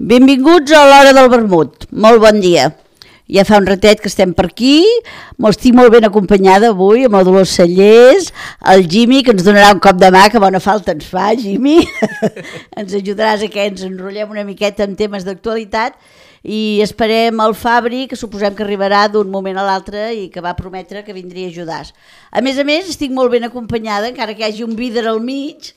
Benvinguts a l'hora del vermut. Molt bon dia. Ja fa un ratet que estem per aquí, estic molt ben acompanyada avui amb el Dolors Cellers, el Jimmy, que ens donarà un cop de mà, que bona falta ens fa, Jimmy. Ens ajudaràs a que ens enrotllem una miqueta en temes d'actualitat i esperem el Fabri, que suposem que arribarà d'un moment a l'altre i que va prometre que vindria a ajudar. A més, estic molt ben acompanyada, encara que hi hagi un vidre al mig,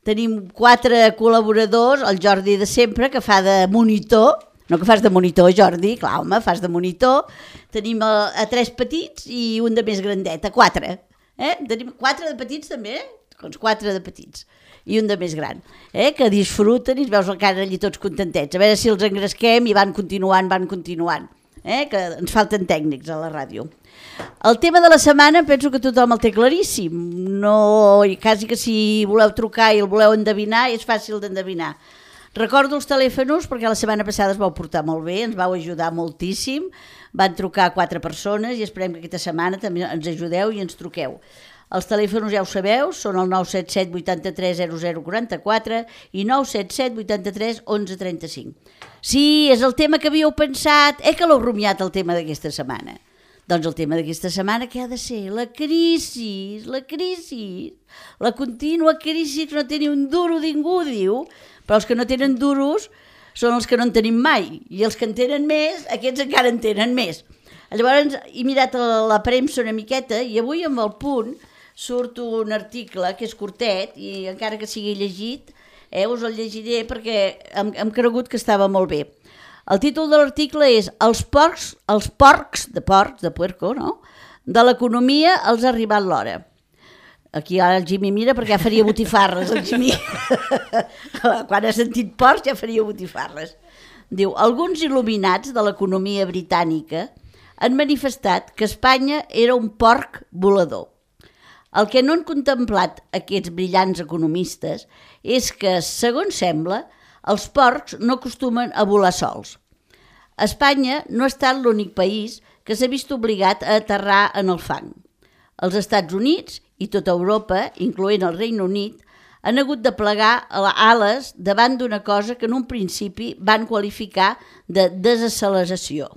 Tenim 4 col·laboradors, el Jordi de sempre, que fa de monitor, no que fas de monitor, Jordi, clar, home, fas de monitor. Tenim a 3 petits i un de més grandet, a 4. Tenim 4 de petits també, doncs 4 de petits i un de més gran, que disfruten i es veus el cara allí tots contentets. A veure si els engresquem i van continuant, que ens falten tècnics a la ràdio. El tema de la setmana penso que tothom el té claríssim, quasi que si voleu trucar i el voleu endevinar és fàcil d'endevinar. Recordo els telèfons perquè la setmana passada es vau portar molt bé, ens vau ajudar moltíssim, van trucar 4 persones i esperem que aquesta setmana també ens ajudeu i ens truqueu. Els telèfons ja ho sabeu, són el 977 83 0044 i 977 83 11 35. Sí, és el tema que havíeu pensat, que l'heu rumiat el tema d'aquesta setmana. Doncs el tema d'aquesta setmana què ha de ser? La crisi, la contínua crisi que no té ni un duro ningú, diu, però els que no tenen duros són els que no en tenim mai, i els que en tenen més, aquests encara en tenen més. Llavors he mirat la premsa una miqueta i avui amb el Punt surt un article que és curtet i encara que sigui llegit, us el llegiré perquè hem cregut que estava molt bé. El títol de l'article és Els porcs de puerco, no? De l'economia els ha arribat l'hora. Aquí ara el Jimmy mira perquè ja faria botifarres, el Jimmy. Quan ha sentit porcs ja faria botifarres. Diu, alguns il·luminats de l'economia britànica han manifestat que Espanya era un porc volador. El que no han contemplat aquests brillants economistes és que, segons sembla, els porcs no acostumen a volar sols. Espanya no ha estat l'únic país que s'ha vist obligat a aterrar en el fang. Els Estats Units i tota Europa, incloent el Regne Unit, han hagut de plegar ales davant d'una cosa que en un principi van qualificar de desacceleració.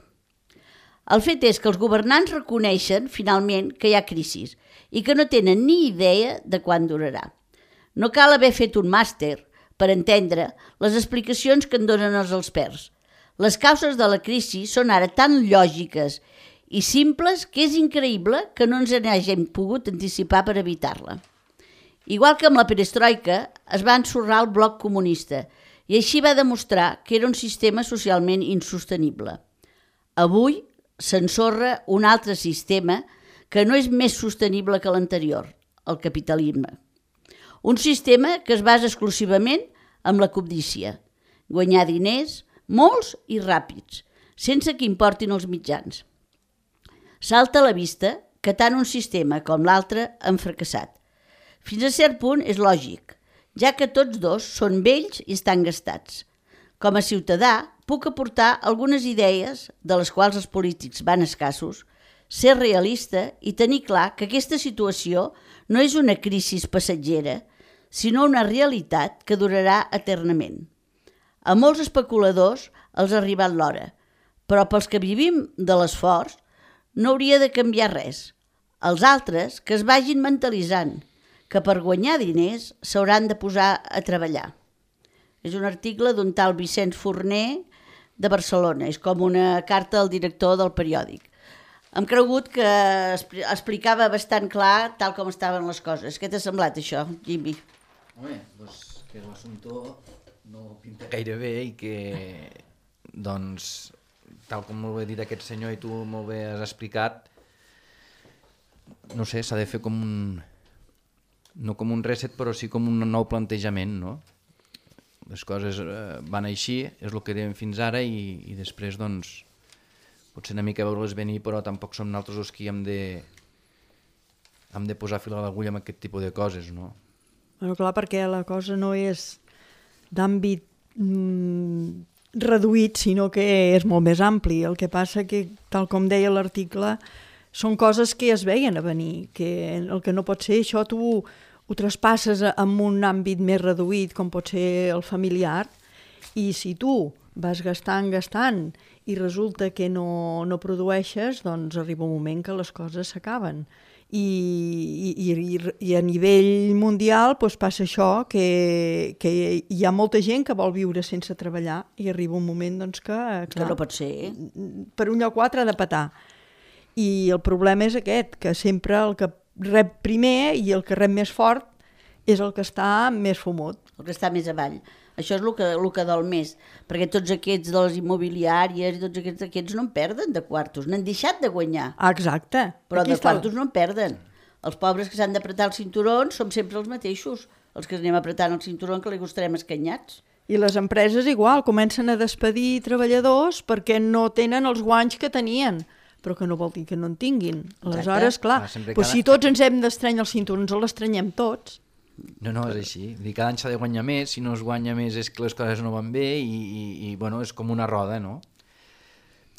El fet és que els governants reconeixen, finalment, que hi ha crisis i que no tenen ni idea de quan durarà. No cal haver fet un màster per entendre les explicacions que en donen els experts. Les causes de la crisi són ara tan lògiques i simples que és increïble que no ens n'hàgim pogut anticipar per evitar-la. Igual que amb la perestroika es va ensorrar el bloc comunista i així va demostrar que era un sistema socialment insostenible. Avui s'ensorra un altre sistema que no és més sostenible que l'anterior, el capitalisme. Un sistema que es basa exclusivament en la cobdícia, guanyar diners, molts i ràpids, sense que importin els mitjans. Salta a la vista que tant un sistema com l'altre han fracassat. Fins a cert punt és lògic, ja que tots dos són vells i estan gastats. Com a ciutadà puc aportar algunes idees, de les quals els polítics van escassos, ser realista i tenir clar que aquesta situació no és una crisi passatgera, sinó una realitat que durarà eternament. A molts especuladors els ha arribat l'hora, però pels que vivim de l'esforç no hauria de canviar res. Els altres que es vagin mentalitzant que per guanyar diners s'hauran de posar a treballar. És un article d'un tal Vicenç Forner de Barcelona, és com una carta al director del periòdic. Hem cregut que explicava bastant clar tal com estaven les coses. Què t'ha semblat això, Jimmy? Home, doncs que l'assumpte no pinta gaire bé i que, doncs, tal com molt bé dit aquest senyor i tu molt bé has explicat, no sé, s'ha de fer com un... no com un reset, però sí com un nou plantejament, no? Les coses van així, és el que dèiem fins ara i després, doncs, potser una mica veure-les venir, però tampoc som nosaltres els que hem de posar fil a l'agulla amb aquest tipus de coses, no? Bueno, clar, perquè la cosa no és d'àmbit reduït, sinó que és molt més ampli. El que passa que, tal com deia l'article, són coses que es veien a venir, que el que no pot ser això tu ho traspasses en un àmbit més reduït, com pot ser el familiar, I si tu vas gastant i resulta que no produeixes, doncs arriba un moment que les coses s'acaben. I a nivell mundial doncs passa això, que hi ha molta gent que vol viure sense treballar i arriba un moment doncs, que no pot ser. Per un lloc o altre ha de petar. I el problema és aquest, que sempre el que rep primer i el que rep més fort és el que està més fumut. El que està més avall. Això és el que dol més, perquè tots aquests de les immobiliàries i tots aquests no en perden de quartos, n'han deixat de guanyar. Exacte. Però de quartos no en perden. Els pobres que s'han d'apretar els cinturons som sempre els mateixos, els que anem apretant el cinturó que li estarem escanyats. I les empreses igual, comencen a despedir treballadors perquè no tenen els guanys que tenien, però que no vol dir que no en tinguin. Aleshores, clar, si tots ens hem d'estranyar els cinturons, els estrenyem tots. No, és així. Cada any s'ha de guanyar més, si no es guanya més és que les coses no van bé i bueno, és com una roda, no?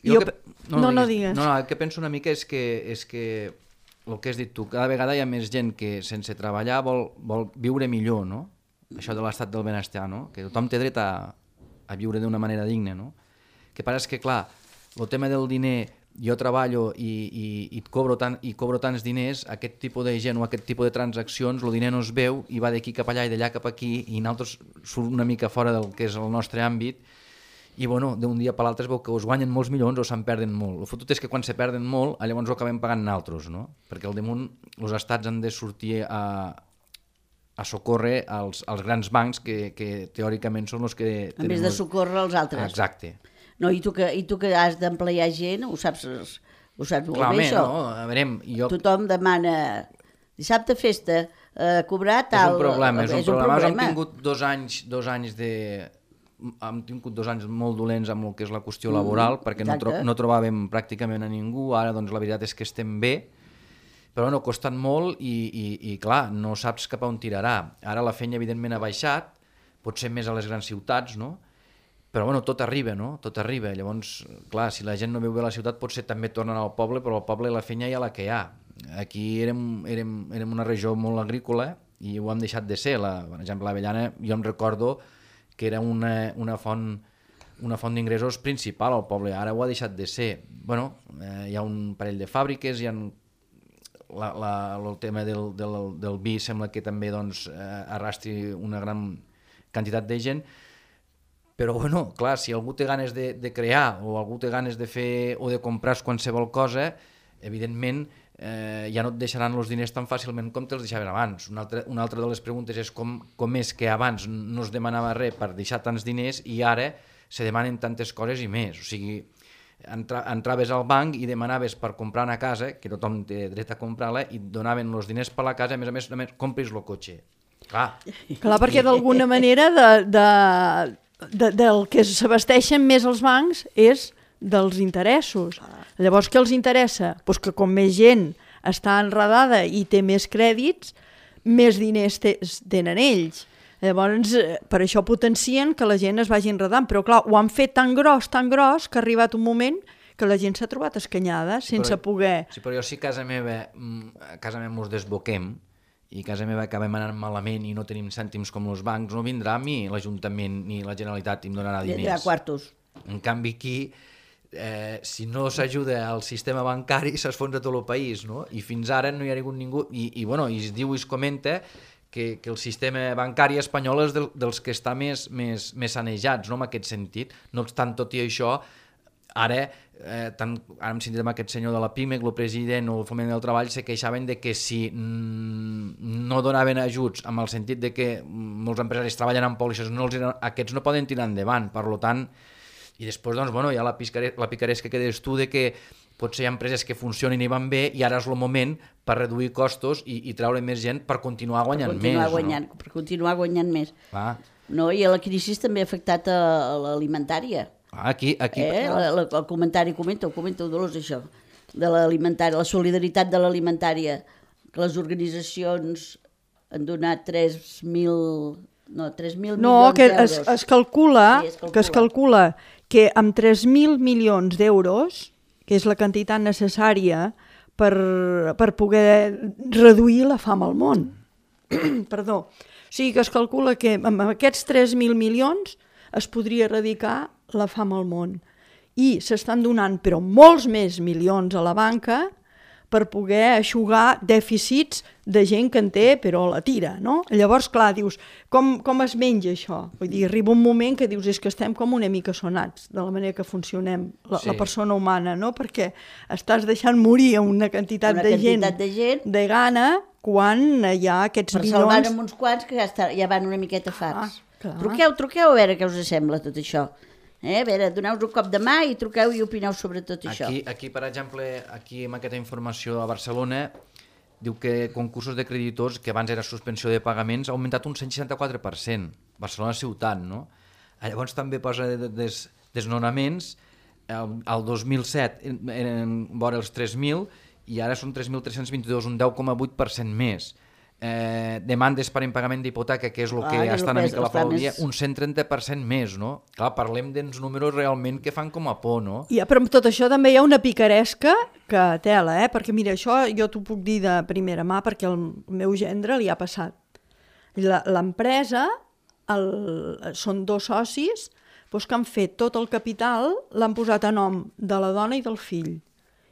No digues. No, el que penso una mica és que el que has dit tu, cada vegada hi ha més gent que sense treballar vol viure millor, no? Això de l'estat del benestar, no? Que tothom té dret a viure d'una manera digna, no? El que passa és que, clar, el tema del diner, jo treballo i cobro tants diners, aquest tipus de gent o aquest tipus de transaccions, el diner no es veu i va d'aquí cap allà i d'allà cap aquí i nosaltres surt una mica fora del que és el nostre àmbit i bueno, d'un dia per l'altre es veu que us guanyen molts milions o se'n perden molt. El fotut és que quan se perden molt, llavors ho acabem pagant nosaltres, no? Perquè al damunt els estats han de sortir a socórrer als grans bancs que teòricament són els que... En vez de socórrer els altres. Exacte. No, i tu que has d'emplear gent, ho saps molt bé, això. No, a veure, tothom demana dissabte festa, cobrar tal... És un problema. Hem tingut dos anys hem tingut 2 anys molt dolents amb el que és la qüestió laboral, perquè no trobàvem pràcticament a ningú, ara doncs la veritat és que estem bé, però no, costen molt i clar, no saps cap a on tirarà. Ara la feina evidentment ha baixat, potser més a les grans ciutats, no? Però bueno, tot arriba, no? Tot arriba. Llavors, clar, si la gent no viu bé a la ciutat, potser també tornen al poble, però al poble la feina hi ha la que hi ha. Aquí érem una regió molt agrícola i ho hem deixat de ser. Per exemple, l'Avellana, jo em recordo que era una font d'ingressos principal al poble. Ara ho ha deixat de ser. Bueno, hi ha un parell de fàbriques, hi ha el tema del vi sembla que també doncs, arrastri una gran quantitat de gent. Però, bueno, clar, si algú té ganes de crear o algú té ganes de fer o de comprar qualsevol cosa, evidentment ja no et deixaran els diners tan fàcilment com te'ls deixaven abans. Una altra de les preguntes és com és que abans no es demanava res per deixar tants diners i ara se demanen tantes coses i més. O sigui, entraves al banc i demanaves per comprar una casa, que tothom té dret a comprar-la, i et donaven els diners per la casa, a més, compris el cotxe. Clar, perquè d'alguna manera del que s'abasteixen més els bancs és dels interessos. Llavors, què els interessa? Pues que com més gent està enredada i té més crèdits, més diners tenen ells. Llavors, per això potencien que la gent es vagi enredant. Però clar, ho han fet tan gros, que ha arribat un moment que la gent s'ha trobat escanyada sense poder... Sí, però jo si a casa meva ens desboquem i a casa meva acabem anant malament i no tenim cèntims com els bancs, no vindrà a mi l'Ajuntament ni la Generalitat i em donarà diners. Hi ha quartos. En canvi aquí, si no s'ajuda al sistema bancari, s'esfonsa tot el país, no? I fins ara no hi ha ningú... I es diu i es comenta que el sistema bancari espanyol és dels que està més sanejats, no?, en aquest sentit. No obstant tot i això, ara hem sentit amb aquest senyor de la PIMEC, el president o el Foment del Treball, se queixaven de que si no donaven ajuts amb el sentit de que molts empresaris treballen amb pòlisses, aquests no poden tirar endavant. Per tant, i després doncs, bueno, hi ha la picaresca que deies tu de que potser hi ha empreses que funcionin i van bé i ara és el moment per reduir costos i treure més gent per continuar guanyant més. Per continuar guanyant més. No, i la crisi també ha afectat a l'alimentària. Aquí. El comentari, comenta Dolors, això, de l'alimentària, la solidaritat de l'alimentària, que les organitzacions han donat 3.000 milions d'euros. Es calcula que amb 3.000 milions d'euros, que és la quantitat necessària per poder reduir la fam al món. Perdó. O sigui que es calcula que amb aquests 3.000 milions es podria erradicar la fam al món. I s'estan donant, però molts més milions a la banca per poder eixugar dèficits de gent que en té, però la tira, no? Llavors, clar, dius, com es menja això? Vull dir, arriba un moment que dius, és que estem com una mica sonats de la manera que funcionem, la persona humana, no? Perquè estàs deixant morir una quantitat de gent de gana quan hi ha aquests milions... Per salvar-ne uns quants que ja van una miqueta farts. Truqueu a veure què us sembla tot això. A veure, doneu-vos un cop de mà i truqueu i opineu sobre tot això. Aquí, per exemple, aquí amb aquesta informació a Barcelona, diu que concursos de creditors, que abans era suspensió de pagaments, ha augmentat un 164%. Barcelona ciutat, no? Llavors també posa desnonaments, el 2007 eren vora els 3.000 i ara són 3.322, un 10,8% més. Demandes per impagament d'hipoteca, que és el que està una mica a la flor del dia, un 130% més, no? Clar, parlem d'uns números realment que fan com a por, no? Però amb tot això també hi ha una picaresca que tela, perquè mira, això jo t'ho puc dir de primera mà perquè el meu gendre li ha passat. L'empresa, són 2 socis que han fet tot el capital, l'han posat a nom de la dona i del fill.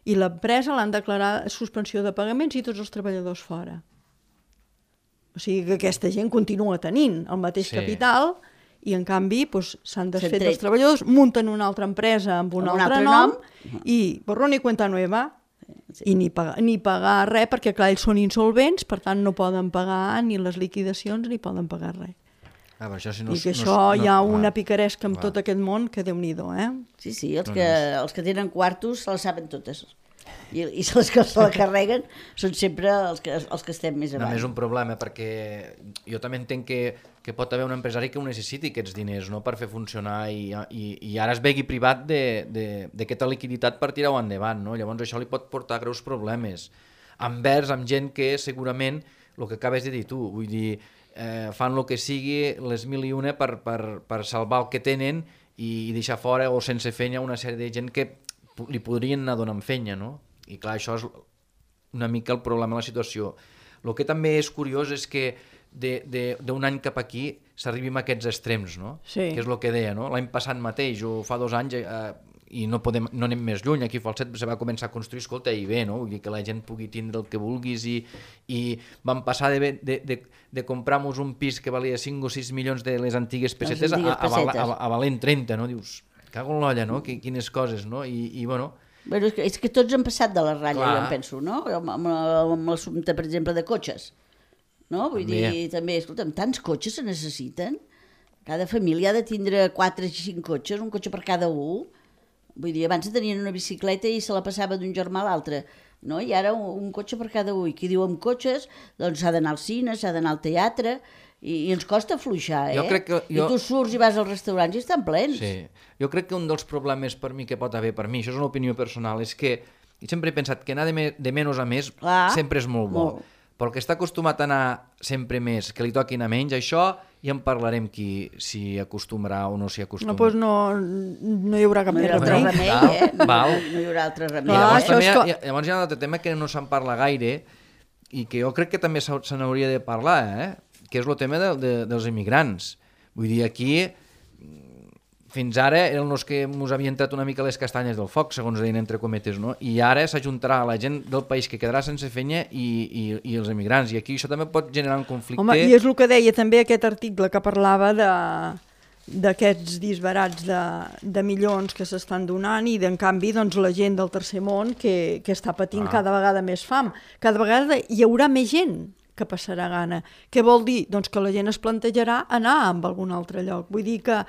I l'empresa l'han declarat suspensió de pagaments i tots els treballadors fora. O sigui que aquesta gent continua tenint el mateix capital i en canvi s'han desfet els treballadors, munten una altra empresa amb un altre nom i borrón y cuenta nueva i ni pagar res perquè clar, ells són insolvents, per tant no poden pagar ni les liquidacions ni poden pagar res. I que això hi ha una picaresca amb tot aquest món que Déu-n'hi-do, Sí, els que tenen quartos se les saben totes. I els que se la carreguen són sempre els que estem més avall. No, és un problema, perquè jo també entenc que pot haver un empresari que ho necessiti aquests diners, no?, per fer funcionar i ara es vegi privat d'aquesta liquiditat per tirar-ho endavant, no? Llavors això li pot portar greus problemes envers amb gent que segurament, el que acabes de dir tu, vull dir, fan el que sigui, les mil i una per salvar el que tenen i deixar fora o sense feina una sèrie de gent que li podrien anar donant feina, no? I clar, això és una mica el problema de la situació. El que també és curiós és que d'un any cap aquí s'arribim a aquests extrems, no? Sí. Que és el que deia, no? L'any passat mateix, o fa 2 anys, i no anem més lluny, aquí a Falset se va començar a construir, escolta, i bé, no? Vull dir que la gent pugui tindre el que vulguis i vam passar de comprar-nos un pis que valia 5 o 6 milions de les antigues pessetes a valent 30, no? Dius, cago en l'olla, no? Quines coses, no? I bueno... És que tots han passat de la ratlla, jo em penso, no? Amb l'assumpte, per exemple, de cotxes. No? Vull dir, també, escolta'm, tants cotxes se necessiten? Cada família ha de tindre 4 o 5 cotxes, un cotxe per cada un. Vull dir, abans tenien una bicicleta i se la passava d'un germà a l'altre, no? I ara un cotxe per cada un. I qui diu amb cotxes, doncs s'ha d'anar al cine, s'ha d'anar al teatre, i ens costa afluixar, I tu surts i vas als restaurants i estan plens. Sí. Jo crec que un dels problemes per mi que pot haver, per mi, això és una opinió personal, és que sempre he pensat que anar de menys a més sempre és molt bo. Però el que està acostumat a anar sempre més, que li toquin a menys, això ja en parlarem si acostumarà o no s'hi acostuma. Doncs no hi haurà cap més remei. No hi haurà altre remei. Llavors hi ha un altre tema que no se'n parla gaire i que jo crec que també se n'hauria de parlar, que és el tema dels immigrants. Vull dir, aquí fins ara eren els que ens havien tret una mica les castanyes del foc, segons deien entre cometes, no? I ara s'ajuntarà la gent del país que quedarà sense feina i els emigrants. I aquí això també pot generar un conflicte. Home, i és el que deia també aquest article que parlava d'aquests disbarats de milions que s'estan donant i en canvi doncs, la gent del tercer món que està patint cada vegada més fam. Cada vegada hi haurà més gent que passarà gana. Què vol dir? Doncs que la gent es plantejarà anar a algun altre lloc. Vull dir que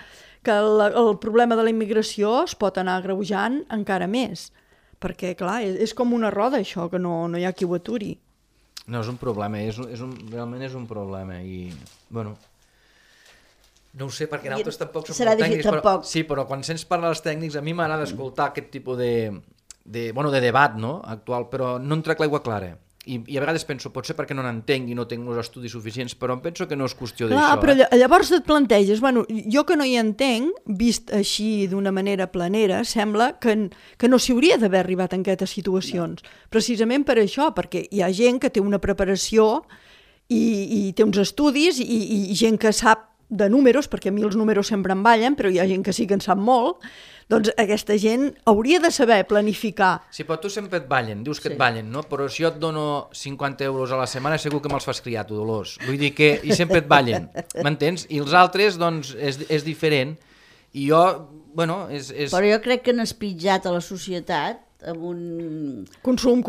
el problema de la immigració es pot anar agreujant encara més, perquè, clar, és com una roda, això, que no hi ha qui ho aturi. No, és un problema, realment és un problema, i, bueno, no ho sé, perquè nosaltres tampoc som molt tècnics, però quan sents parlar dels tècnics, a mi m'agrada escoltar aquest tipus de debat, no?, actual, però no em trec l'aigua clara. I a vegades penso, potser perquè no n'entenc i no tinc els estudis suficients, però em penso que no és qüestió d'això. Clar, però llavors et planteges, jo que no hi entenc, vist així d'una manera planera, sembla que no s'hi hauria d'haver arribat en aquestes situacions. Precisament per això, perquè hi ha gent que té una preparació i té uns estudis i gent que sap de números, perquè a mi els números sempre em ballen, però hi ha gent que sí que en sap molt, doncs aquesta gent hauria de saber planificar. Sí, però tu sempre et ballen, dius que et ballen, no? Però si jo et dono 50 euros a la setmana segur que me'ls fas criar, tu, Dolors. Vull dir que i sempre et ballen, m'entens? I els altres, doncs, és diferent. I jo, bueno, és... Però jo crec que han espitjat a la societat amb un... Consum.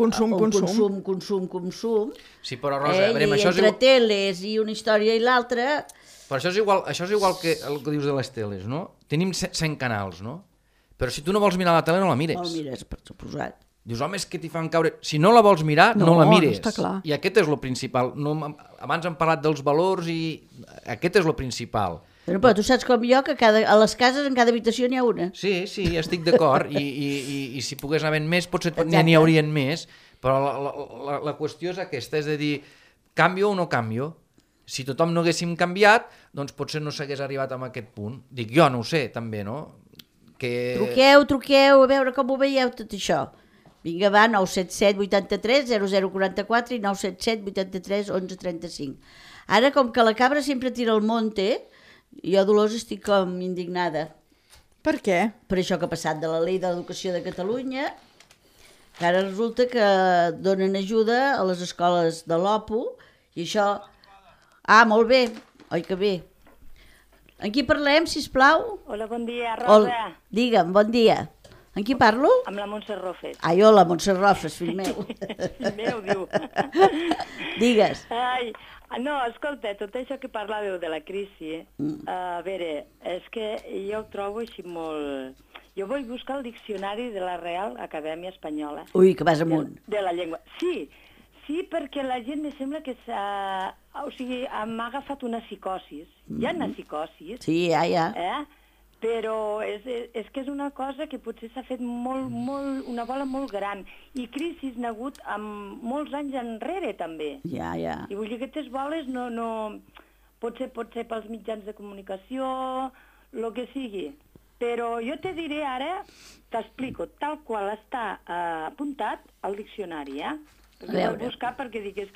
Sí, però Rosa, a veure, això és entre igual... teles i una història i l'altra... Però això és igual que el que dius de les teles, no? Tenim 100 canals, no? Però si tu no vols mirar la tele, no la mires. No la mires, per suposat. Dius, home, és que t'hi fan caure... Si no la vols mirar, no la mires. No està clar. I aquest és lo principal. No, abans hem parlat dels valors i aquest és lo principal. Però tu saps com jo que a les cases en cada habitació n'hi ha una. Sí, estic d'acord. I si pogués anar ben més, potser n'hi haurien més. Però la qüestió és aquesta, és a dir, canvio o no canvio? Si tothom no haguéssim canviat, doncs potser no s'hagués arribat a aquest punt. Dic jo, no ho sé, també, no? Que... Truqueu, a veure com ho veieu tot això. Vinga, va, 977 83 0044 i 977 83 11 35. Ara, com que la cabra sempre tira al monte, jo, Dolors, estic com indignada. Per què? Per això que ha passat de la llei de l'educació de Catalunya, que ara resulta que donen ajuda a les escoles de l'OPU, i això... Ah, molt bé, oi que bé. En qui parlem, sisplau? Hola, bon dia, Rosa. Digue'm, bon dia. En qui parlo? Amb la Montse Rofes. Ai, hola, Montse Rofes, fill meu. Fill meu, diu. Digues. Ai, no, escolta, tot això que parlàveu de la crisi, a veure, és que jo ho trobo així molt... Jo vull buscar el diccionari de la Real Acadèmia Espanyola. Ui, que vas amunt. De la llengua. Sí, perquè la gent me sembla que m'ha agafat una psicosis. Hi ha una psicosis. Sí, ja. Però és que és una cosa que potser s'ha fet una bola molt gran. I crisis n'ha hagut amb molts anys enrere, també. Ja. I vull dir que aquestes boles no... Potser pels mitjans de comunicació, el que sigui. Però jo te diré ara, t'explico, tal qual està apuntat al diccionari, Perquè ho vaig buscar perquè dic és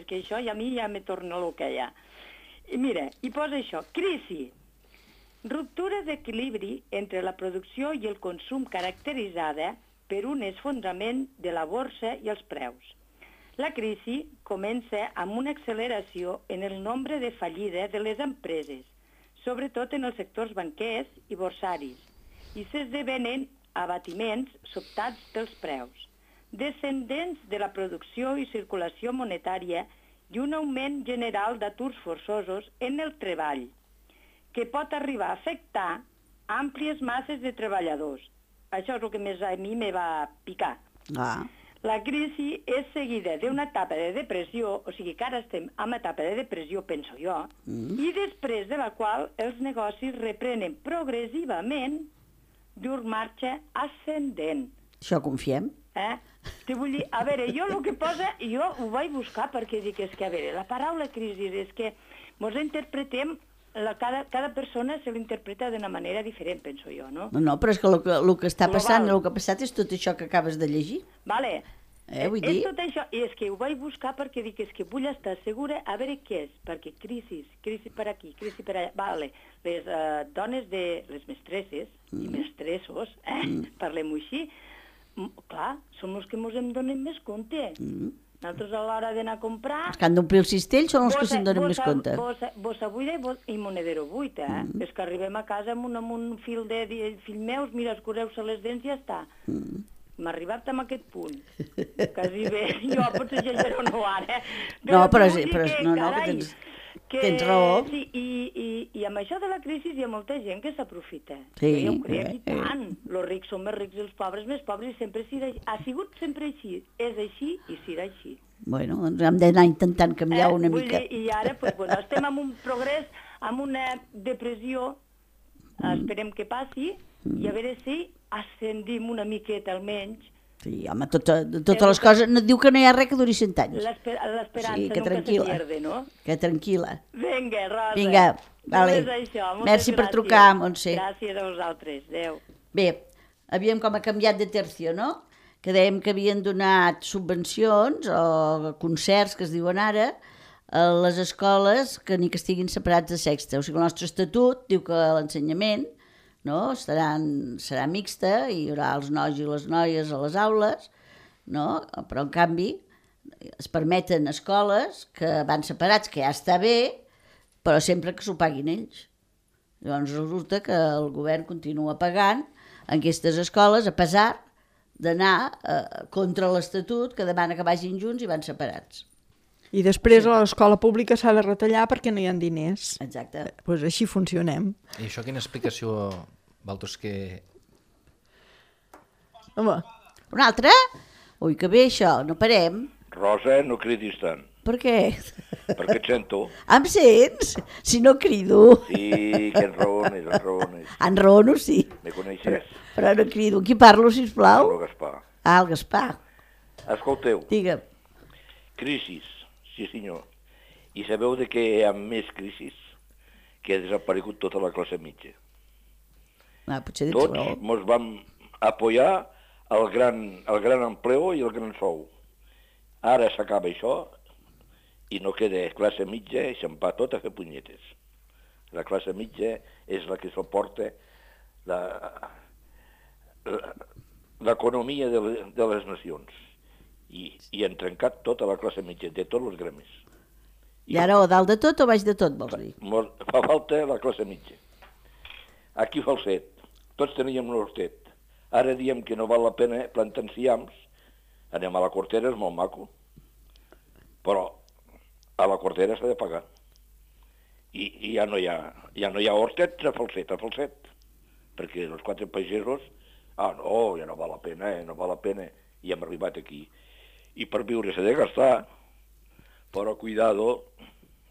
que això i a mi ja me torna el que hi ha. I mira, hi posa això, crisi, ruptura d'equilibri entre la producció i el consum caracteritzada per un esfondrament de la borsa i els preus. La crisi comença amb una acceleració en el nombre de fallides de les empreses, sobretot en els sectors banquers i borsaris, i s'esdevenen abatiments sobtats dels preus, descendents de la producció i circulació monetària i un augment general d'aturs forçosos en el treball, que pot arribar a afectar àmplies masses de treballadors. Això és el que més a mi me va picar. La crisi és seguida d'una etapa de depressió, o sigui que ara estem en etapa de depressió, penso jo, i després de la qual els negocis reprenen progressivament llur marxa ascendent. Això confiem. Te vull dir, a veure, jo el que posa, jo ho vaig buscar perquè dic, és que, a veure, la paraula crisi és que mos interpretem, cada persona se l'interpreta d'una manera diferent, penso jo, no? No, però és que el que està passant, el que ha passat és tot això que acabes de llegir. Vale. Vull dir... És tot això, i és que ho vaig buscar perquè dic, és que vull estar segura a veure què és, perquè crisi per aquí, crisi per allà, vale, les dones de les mestresses i mestressos, parlem-ho així, clar, som els que ens en donem més compte. Nosaltres a l'hora d'anar a comprar... Els que han d'omplir el cistell són els que se'n donen més compte. Bossa buida i monedero buit, És que arribem a casa amb un fil de fill meus, mira, escureu-se les dents i ja està. M'ha arribat a aquest punt. Quasi bé, jo potser exagero no ara. No, però que tens raó. Sí, i amb això de la crisi hi ha molta gent que s'aprofita. Sí. Jo ho crec, i tant. Els rics són més rics i els pobres més pobres, i sempre ha sigut sempre així. És així i serà així. Bueno, doncs hem d'anar intentant canviar una mica. I ara, estem en un progrés, amb una depressió, esperem que passi, i a veure si ascendim una miqueta almenys. Sí, home, totes les coses... No et diu que no hi ha res que duri 100 anys. L'esperança nunca se pierde, no? Que tranquil·la. Vinga, Rosa. Vinga, vale. Merci per trucar, Montse. Gràcies a vosaltres. Adéu. Bé, havíem com canviat de tercio, no? Que dèiem que havien donat subvencions o concerts, que es diuen ara, les escoles que ni que estiguin separats de sexe. O sigui, el nostre estatut diu que l'ensenyament, no, serà mixta i hi haurà els nois i les noies a les aules, no? Però en canvi es permeten escoles que van separats, que ja està bé, però sempre que s'ho paguin ells. Llavors resulta que el govern continua pagant en aquestes escoles a pesar d'anar contra l'Estatut que demana que vagin junts i van separats. I després a l'escola pública s'ha de retallar perquè no hi ha diners. Exacte. Pues així funcionem. I això quina explicació, Valtos, que... Home, Una altra? Ui, que bé això, no parem. Rosa, no cridis tant, Per què? perquè et sento. Em sents? Si no crido. Sí, que enraones, enraones. Enraono, sí, Me coneixes? però no crido. Qui parlo, sisplau? Pablo Gaspar. Ah, el Gaspar. Escolteu, Digue'm. crisis, sí senyor. I sabeu de què hi ha més crisis? Que ha desaparegut tota la classe mitja. Ah, potser tens Tots raó. ens vam apoyar el gran empleo i el gran sou. Ara s'acaba això i no queda classe mitja i se'n va tot a fer punyetes. La classe mitja és la que suporta l'economia de les nacions. I han trencat tota la classe mitja, de tots els gremis. I ara o dalt de tot o baix de tot, vols dir? Fa falta la classe mitja. Aquí Falset, tots teníem l'hostet. Ara diem que no val la pena plantar enciams. Anem a la Cortera, és molt maco. Però a la Cortera s'ha de pagar. I ja no hi ha hostets a Falset. Perquè els 4 pagesos, no, ja no val la pena, no val la pena. I hem arribat aquí. I per viure s'ha de gastar, però cuidado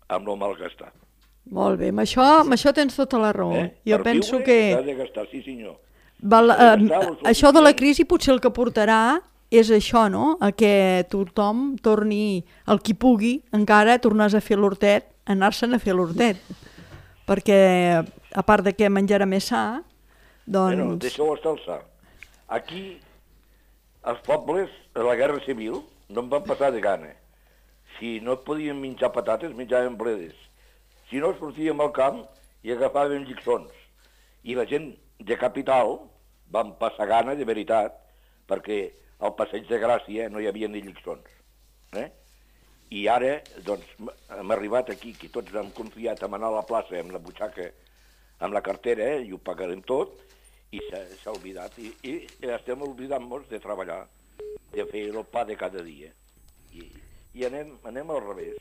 amb el malgastar. molt bé, amb això tens tota la raó. Jo Per penso viure que s'ha de gastar, sí senyor. això de la crisi potser el que portarà és això, no? A que tothom torni, el qui pugui, encara tornàs a fer l'hortet, anar-se'n a fer l'hortet. Perquè, a part de que menjarà més sa, Bueno, doncs... deixeu estar el sa. Aquí, els pobles, a la Guerra Civil, no en van passar de gana. Si no podíem menjar patates, menjàvem bledes. Si no, sortíem al camp i agafàvem lliçons. I la gent de capital van passar gana, de veritat, perquè al Passeig de Gràcia no hi havia ni lliçons. I ara, doncs, hem arribat aquí, que tots hem confiat en anar a la plaça amb la butxaca, amb la cartera, i ho pagarem tot, i s'ha oblidat. I estem oblidant-nos de treballar, de fer el pa de cada dia. I anem al revés,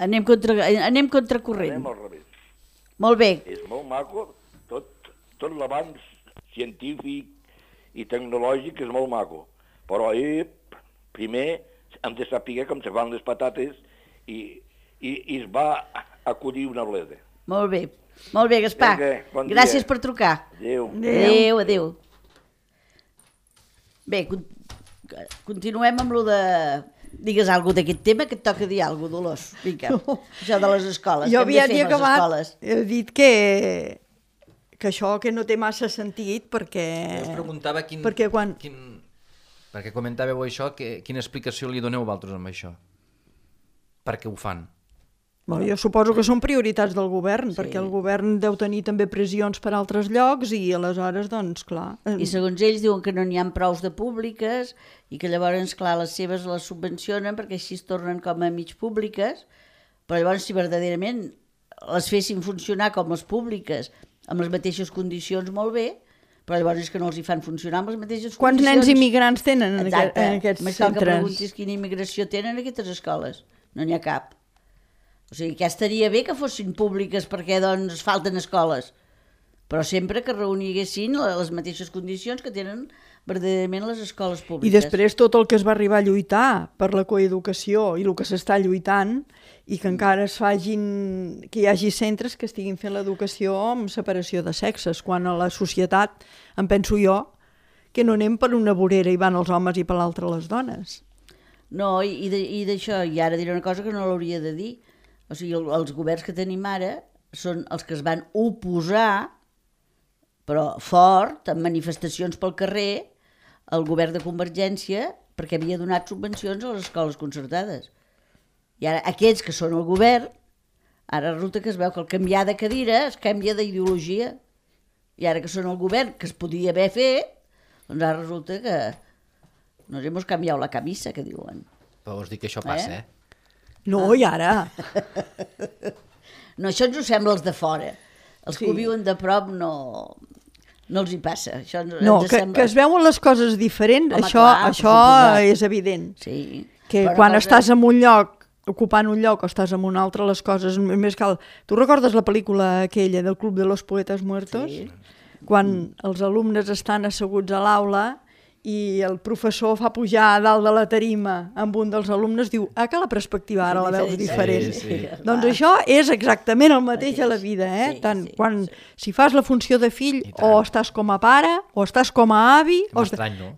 Anem contracorrent. Anem al revés. Molt bé. És molt maco, tot l'avanç científic i tecnològic és molt maco, però primer hem de saber com se fan les patates i es va acollir una bleda. Molt bé, Gaspar. Vinga, bon dia. Gràcies per trucar. Adéu. Adéu. Bé, continuem amb lo de... Digues alguna d'aquest tema, que et toca dir alguna cosa, Dolors. Vinga, això de les escoles. Jo què hem de havia fer amb les acabat, escoles? he dit que això que no té massa sentit, perquè... Jo us preguntava Perquè quan... Perquè comentàveu això, quina explicació li doneu vosaltres amb això? Per què ho fan? Bueno, jo suposo que són prioritats del govern, perquè el govern deu tenir també pressions per altres llocs i aleshores, doncs, clar... I segons ells diuen que no n'hi ha prous de públiques i que llavors, clar, les seves les subvencionen perquè així es tornen com a mig públiques, però llavors si verdaderament les fessin funcionar com les públiques, amb les mateixes condicions, molt bé, però llavors és que no els hi fan funcionar amb les mateixes Quants condicions. nens immigrants tenen en Exacte. aquests Més cal que centres? preguntis quina immigració tenen aquestes escoles. No n'hi ha cap. O sigui, que estaria bé que fossin públiques perquè doncs falten escoles, però sempre que reuniguessin les mateixes condicions que tenen verdaderament les escoles públiques. I després tot el que es va arribar a lluitar per la coeducació i el que s'està lluitant i que encara que hi hagi centres que estiguin fent l'educació amb separació de sexes, quan a la societat, em penso jo, que no anem per una vorera i van els homes i per l'altra les dones. No, i d'això, i ara diré una cosa que no l'hauria de dir. O sigui, els governs que tenim ara són els que es van oposar, però fort, amb manifestacions pel carrer, al govern de Convergència, perquè havia donat subvencions a les escoles concertades. I ara aquests que són al govern, ara resulta que es veu que al canviar de cadira es canvia d'ideologia. I ara que són al govern, que es podia haver fet, doncs ara resulta que nos hemos cambiado la camisa, que diuen. Però vols dir que això passa, No, i ara? No, això ens ho sembla els de fora. Els que ho viuen de prop no els hi passa. Això No, ens que sembla... es veuen les coses diferents, Home, això, clar, això per suposat. és evident. Sí. Que Però quan una cosa- estàs en un lloc, ocupant un lloc o estàs en un altre, les coses més cal... Tu recordes la pel·lícula aquella del Club de los Poetas Muertos? Sí. Quan els alumnes estan asseguts a l'aula i el professor fa pujar a dalt de la tarima amb un dels alumnes, diu, que la perspectiva ara la veus diferent. Sí. Doncs això és exactament el mateix a la vida, Sí, Tant sí, quan si fas la funció de fill, o estàs com a pare, o estàs com a avi, Que m'estrany, no?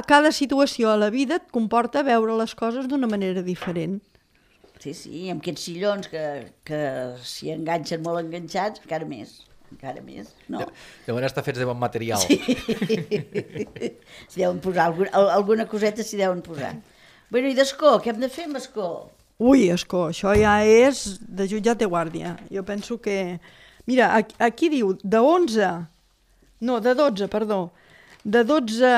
cada situació a la vida et comporta veure les coses d'una manera diferent. Sí, amb aquests sillons que s'hi enganxen molt enganxats, encara més, no? Deuen estar fets de bon material. Sí. S'hi deuen posar, alguna coseta s'hi deuen posar. Bueno, i d'escó, què hem de fer amb escó? Ui, escó, això ja és de jutjat de guàrdia. Jo penso que... Mira, aquí diu de 12, perdó, de 12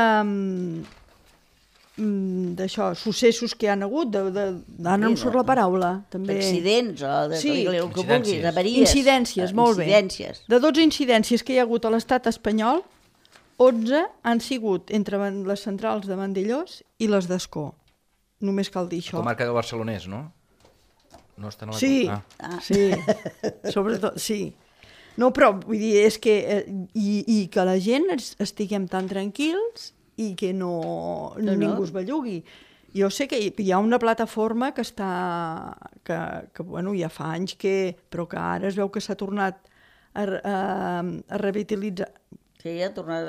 d'això, successos que hi han hagut, ara no em surt la paraula, també. D'accidents o de Sí. el que vulguis, Incidències. avaries. Incidències, molt bé. Incidències. De 12 incidències que hi ha hagut a l'estat espanyol, 11 han sigut entre les centrals de Vandellós i les d'Escó. Només cal dir això. Comarca del Barcelonès, no? No estan a la... Sí, sí, sobretot, sí. No, però vull dir, és que... I que la gent estiguem tan tranquils i que ningú es bellugui. Jo sé que hi ha una plataforma que està... que bueno, ja fa anys que... però que ara es veu que s'ha tornat a revitalitzar. Sí, ha tornat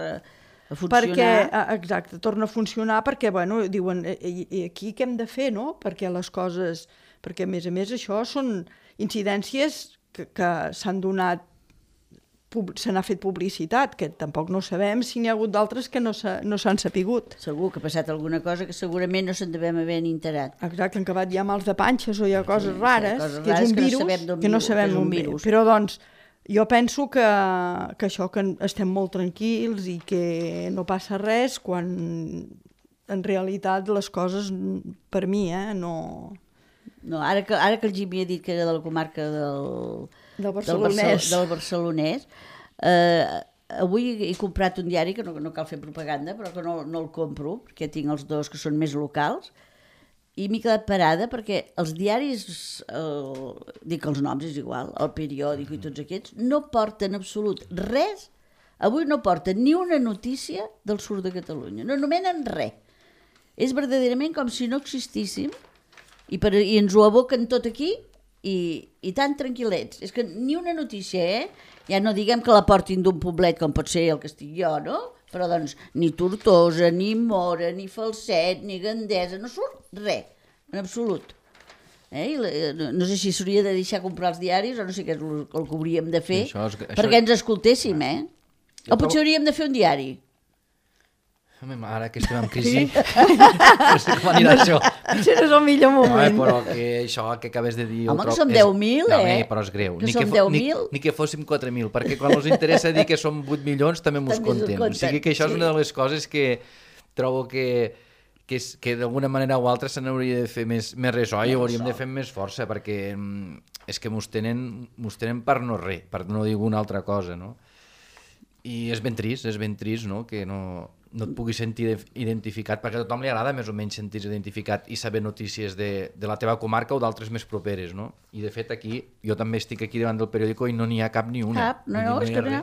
a funcionar. Perquè, exacte, torna a funcionar perquè, bueno, diuen, i aquí què hem de fer, no? Perquè les coses... Perquè, a més, això són incidències que s'han donat, se n'ha fet publicitat, que tampoc no sabem si n'hi ha hagut d'altres que no s'han sapigut. Segur que ha passat alguna cosa que segurament no se'n devem haver enterat. Exacte, han acabat ja mals de panxes o hi ha coses rares, coses que és rares un que no virus, sabem d'on que no viu, sabem que és un on ve. virus. Però, doncs, jo penso que això, que estem molt tranquils i que no passa res, quan en realitat les coses, per mi, no... No, ara que el Jimmy ha dit que era de la comarca Del Barcelonès. del Barcelonès, avui he comprat un diari, que no cal fer propaganda, però que no el compro, perquè tinc els dos que són més locals, i m'he quedat parada perquè els diaris, dic els noms, és igual, el periòdic i tots aquests, no porten absolut res, avui no porten ni una notícia del sud de Catalunya, no nomenen res. És verdaderament com si no existíssim, i ens ho aboquen tot aquí i tan tranquil·lets. És que ni una notícia, Ja no diguem que la portin d'un poblet com pot ser el que estic jo, no? Però doncs ni Tortosa, ni Mora, ni Falset, ni Gandesa, no surt res, en absolut. No sé si s'hauria de deixar comprar els diaris o no sé què és el que hauríem de fer perquè ens escoltéssim, O potser hauríem de fer un diari. Ara que estem en crisi, no sé com anirà això. Això no és el millor moment. Però que això que acabes de dir... Home, que som 10.000, No, però és greu. Que som 10.000. Ni que fóssim 4.000, perquè quan els interessa dir que som 8 milions també mos compten. O sigui que això és una de les coses que trobo que d'alguna manera o altra se n'hauria de fer més ressò i hauríem de fer més força, perquè és que mos tenen per no res, per no dir alguna altra cosa, no? I és ben trist, no? Que no et puguis sentir identificat, perquè a tothom li agrada més o menys sentir-se identificat i saber notícies de la teva comarca o d'altres més properes, no? I de fet aquí, jo també estic aquí davant del periòdico i no n'hi ha cap ni una. Cap, no, és que no.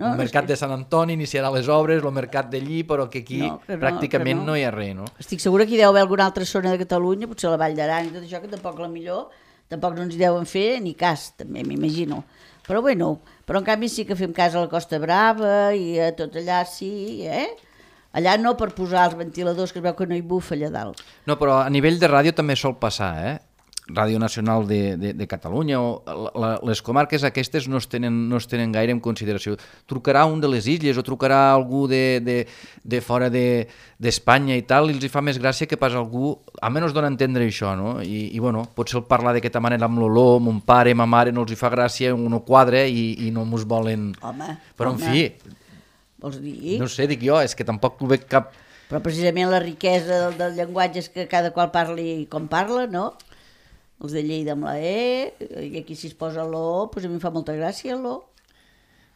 El mercat de Sant Antoni iniciarà les obres, el mercat d'allí, però que aquí pràcticament no hi ha res, no? Estic segura que hi deu haver alguna altra zona de Catalunya, potser la Vall d'Aran i tot això, que tampoc tampoc no ens hi deuen fer ni cas, també m'imagino. Però bueno, en canvi sí que fem cas a la Costa Brava i a tot allà sí, Allà no per posar els ventiladors, que es veu que no hi bufa allà dalt. No, però a nivell de ràdio també sol passar, Ràdio Nacional de Catalunya, o les comarques aquestes no es tenen gaire en consideració. Trucarà un de les illes o trucarà algú de fora d'Espanya i tal, i els hi fa més gràcia que pas algú, almenys dona a entendre això, no? I bueno, potser el parlar d'aquesta manera amb l'olor, mon pare, ma mare, no els hi fa gràcia, no quadra i no mos volen... Home, però en fi, vols dir? no sé, dic jo, és que tampoc ho veig cap... Però precisament la riquesa del llenguatge és que cada qual parli com parla, no? Els de Lleida amb la E, i aquí si es posa l'O, doncs a mi em fa molta gràcia l'O.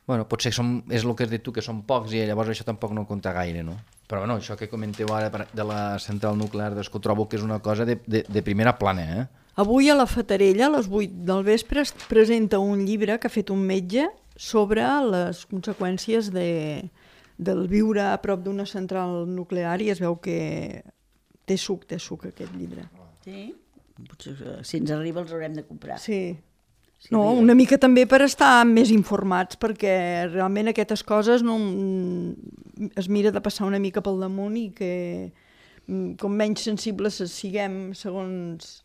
Bueno, potser és el que has dit tu, que són pocs, i llavors això tampoc no compta gaire, no? Però bueno, això que comenteu ara de la central nuclear, que trobo que és una cosa de primera plana, eh? Avui a la Fatarella, a les 8 del vespre, es presenta un llibre que ha fet un metge sobre les conseqüències del viure a prop d'una central nuclear, i es veu que té suc aquest llibre. Sí? Potser, si ens arriba els haurem de comprar. Sí. Sí, No, una mica també per estar més informats, perquè realment aquestes coses no, es mira de passar una mica pel damunt, i que com menys sensibles siguem segons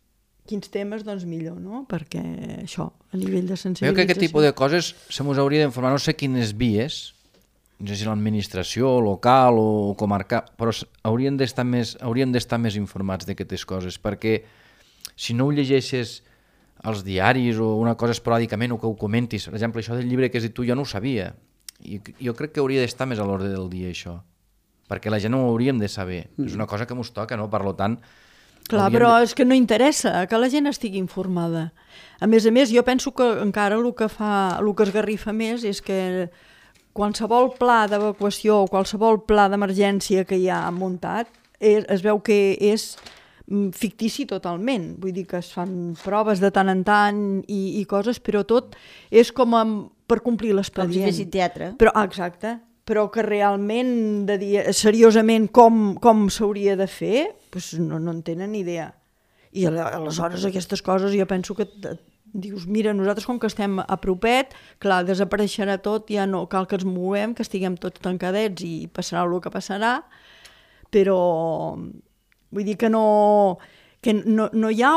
quins temes, doncs millor, no? Perquè això, a nivell de sensibilització... Veu que aquest tipus de coses se mos hauria d'informar, no sé quines vies, no sé si l'administració local o comarcal, però haurien d'estar més informats d'aquestes coses, perquè si no ho llegeixes als diaris o una cosa esporàdicament o que ho comentis, per exemple, això del llibre que has dit tu jo no ho sabia, i jo crec que hauria d'estar més a l'ordre del dia això, perquè la gent no ho hauríem de saber, és una cosa que mos toca, no? Per tant... Clar, però és que no interessa que la gent estigui informada. A més, jo penso que encara el que esgarrifa més és que qualsevol pla d'evacuació o qualsevol pla d'emergència que hi ha muntat es veu que és fictici totalment. Vull dir que es fan proves de tant en tant i coses, però tot és com per complir l'expedient. Com si fessin teatre. Però, exacte. Però que realment, de dir seriosament com s'hauria de fer, doncs no en tenen ni idea. I aleshores aquestes coses jo penso que dius, mira, nosaltres com que estem a propet, clar, desapareixerà tot, ja no cal que ens movem, que estiguem tots tancadets i passarà el que passarà, però vull dir que no hi ha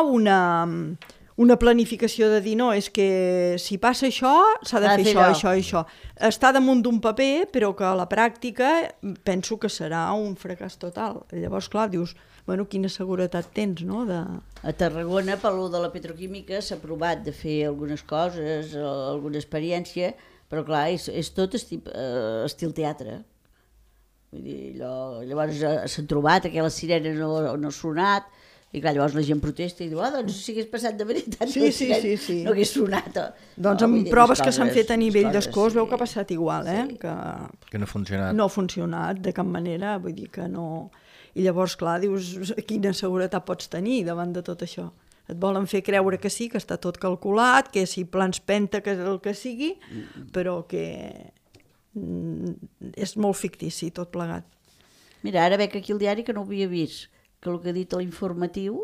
una planificació de dir, no, és que si passa això, s'ha de fer això i això. Està damunt d'un paper, però que a la pràctica penso que serà un fracàs total. Llavors, clar, dius, bueno, quina seguretat tens, no? A Tarragona, per lo de la petroquímica, s'ha provat de fer algunes coses, alguna experiència, però clar, és tot estil teatre. Vull dir, llavors s'han trobat que la sirena no ha sonat, i clar, llavors la gent protesta i diu, doncs si hagués passat de veritat, sí. no hagués sonat. Doncs amb proves que s'han fet a nivell d'escó es veu que ha passat igual, que no ha funcionat. No ha funcionat de cap manera, vull dir que no... I llavors, clar, dius, quina seguretat pots tenir davant de tot això? Et volen fer creure que sí, que està tot calculat, que si plans penta, que és el que sigui, però que és molt fictici tot plegat. Mira, ara veig aquí el diari que no ho havia vist, que el que ha dit a l'informatiu,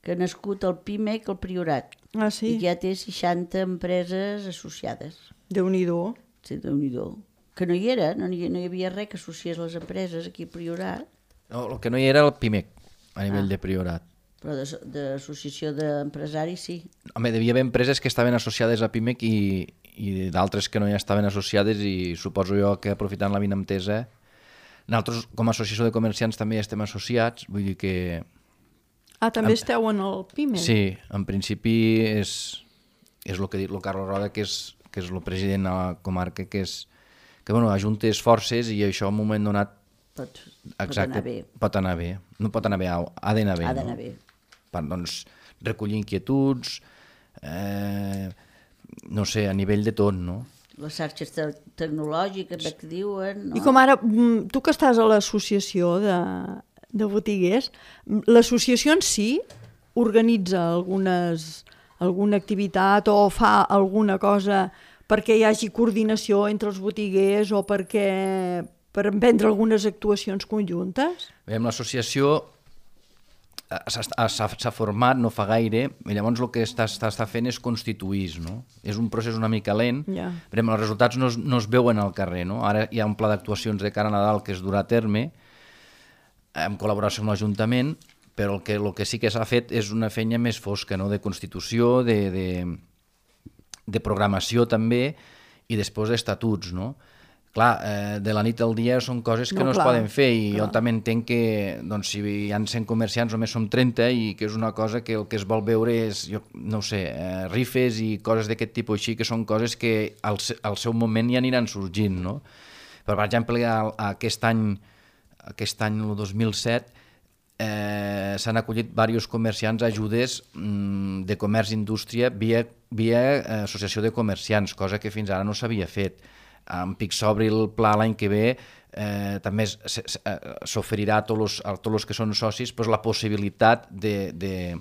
que ha nascut el PIMEC al Priorat. Ah, sí? I que ja té 60 empreses associades. Déu-n'hi-do. Sí, Déu-n'hi-do. Que no hi era, no hi havia res que associés les empreses aquí al Priorat. No, el que no hi era el PIMEC, a nivell de Priorat. Però d'associació d'empresaris sí. Home, devia haver empreses que estaven associades a PIMEC i d'altres que no hi estaven associades, i suposo jo que aprofitant la vinentesa, nosaltres com a associació de comerciants també estem associats, vull dir que... Ah, també esteu en el PIMEC? Sí, en principi és el que ha dit el Carlos Roda, que és el president de la comarca, que bueno, ajuntes forces i això en un moment donat pot anar bé. Pot anar bé. No pot anar bé, ha d'anar bé. Ha d'anar bé. Per, doncs, recollir inquietuds, no sé, a nivell de tot, no? Les xarxes tecnològiques que diuen... No? I com ara, tu que estàs a l'associació de botiguers, l'associació en si organitza alguna activitat o fa alguna cosa perquè hi hagi coordinació entre els botiguers o per emprendre algunes actuacions conjuntes? Bé, l'associació s'ha format no fa gaire, i llavors el que està fent és constituir, no? És un procés una mica lent, però els resultats no es veuen al carrer, no? Ara hi ha un pla d'actuacions de cara a Nadal que es durà a terme, en col·laboració amb l'Ajuntament, però el que sí que s'ha fet és una feina més fosca, no? De constitució, de programació també, i després d'estatuts, no? Clar, de la nit al dia són coses que no es poden fer, i jo també entenc que doncs, si hi ha 100 comerciants només som 30, i que és una cosa que el que es vol veure és, jo no ho sé, rifes i coses d'aquest tipus així, que són coses que al seu moment ja aniran sorgint, no? Però, per exemple, aquest any, el 2007, s'han acollit diversos comerciants a ajudes de comerç i indústria via associació de comerciants, cosa que fins ara no s'havia fet. En pic s'obri el pla l'any que ve, també s'oferirà a tots els que són socis la possibilitat de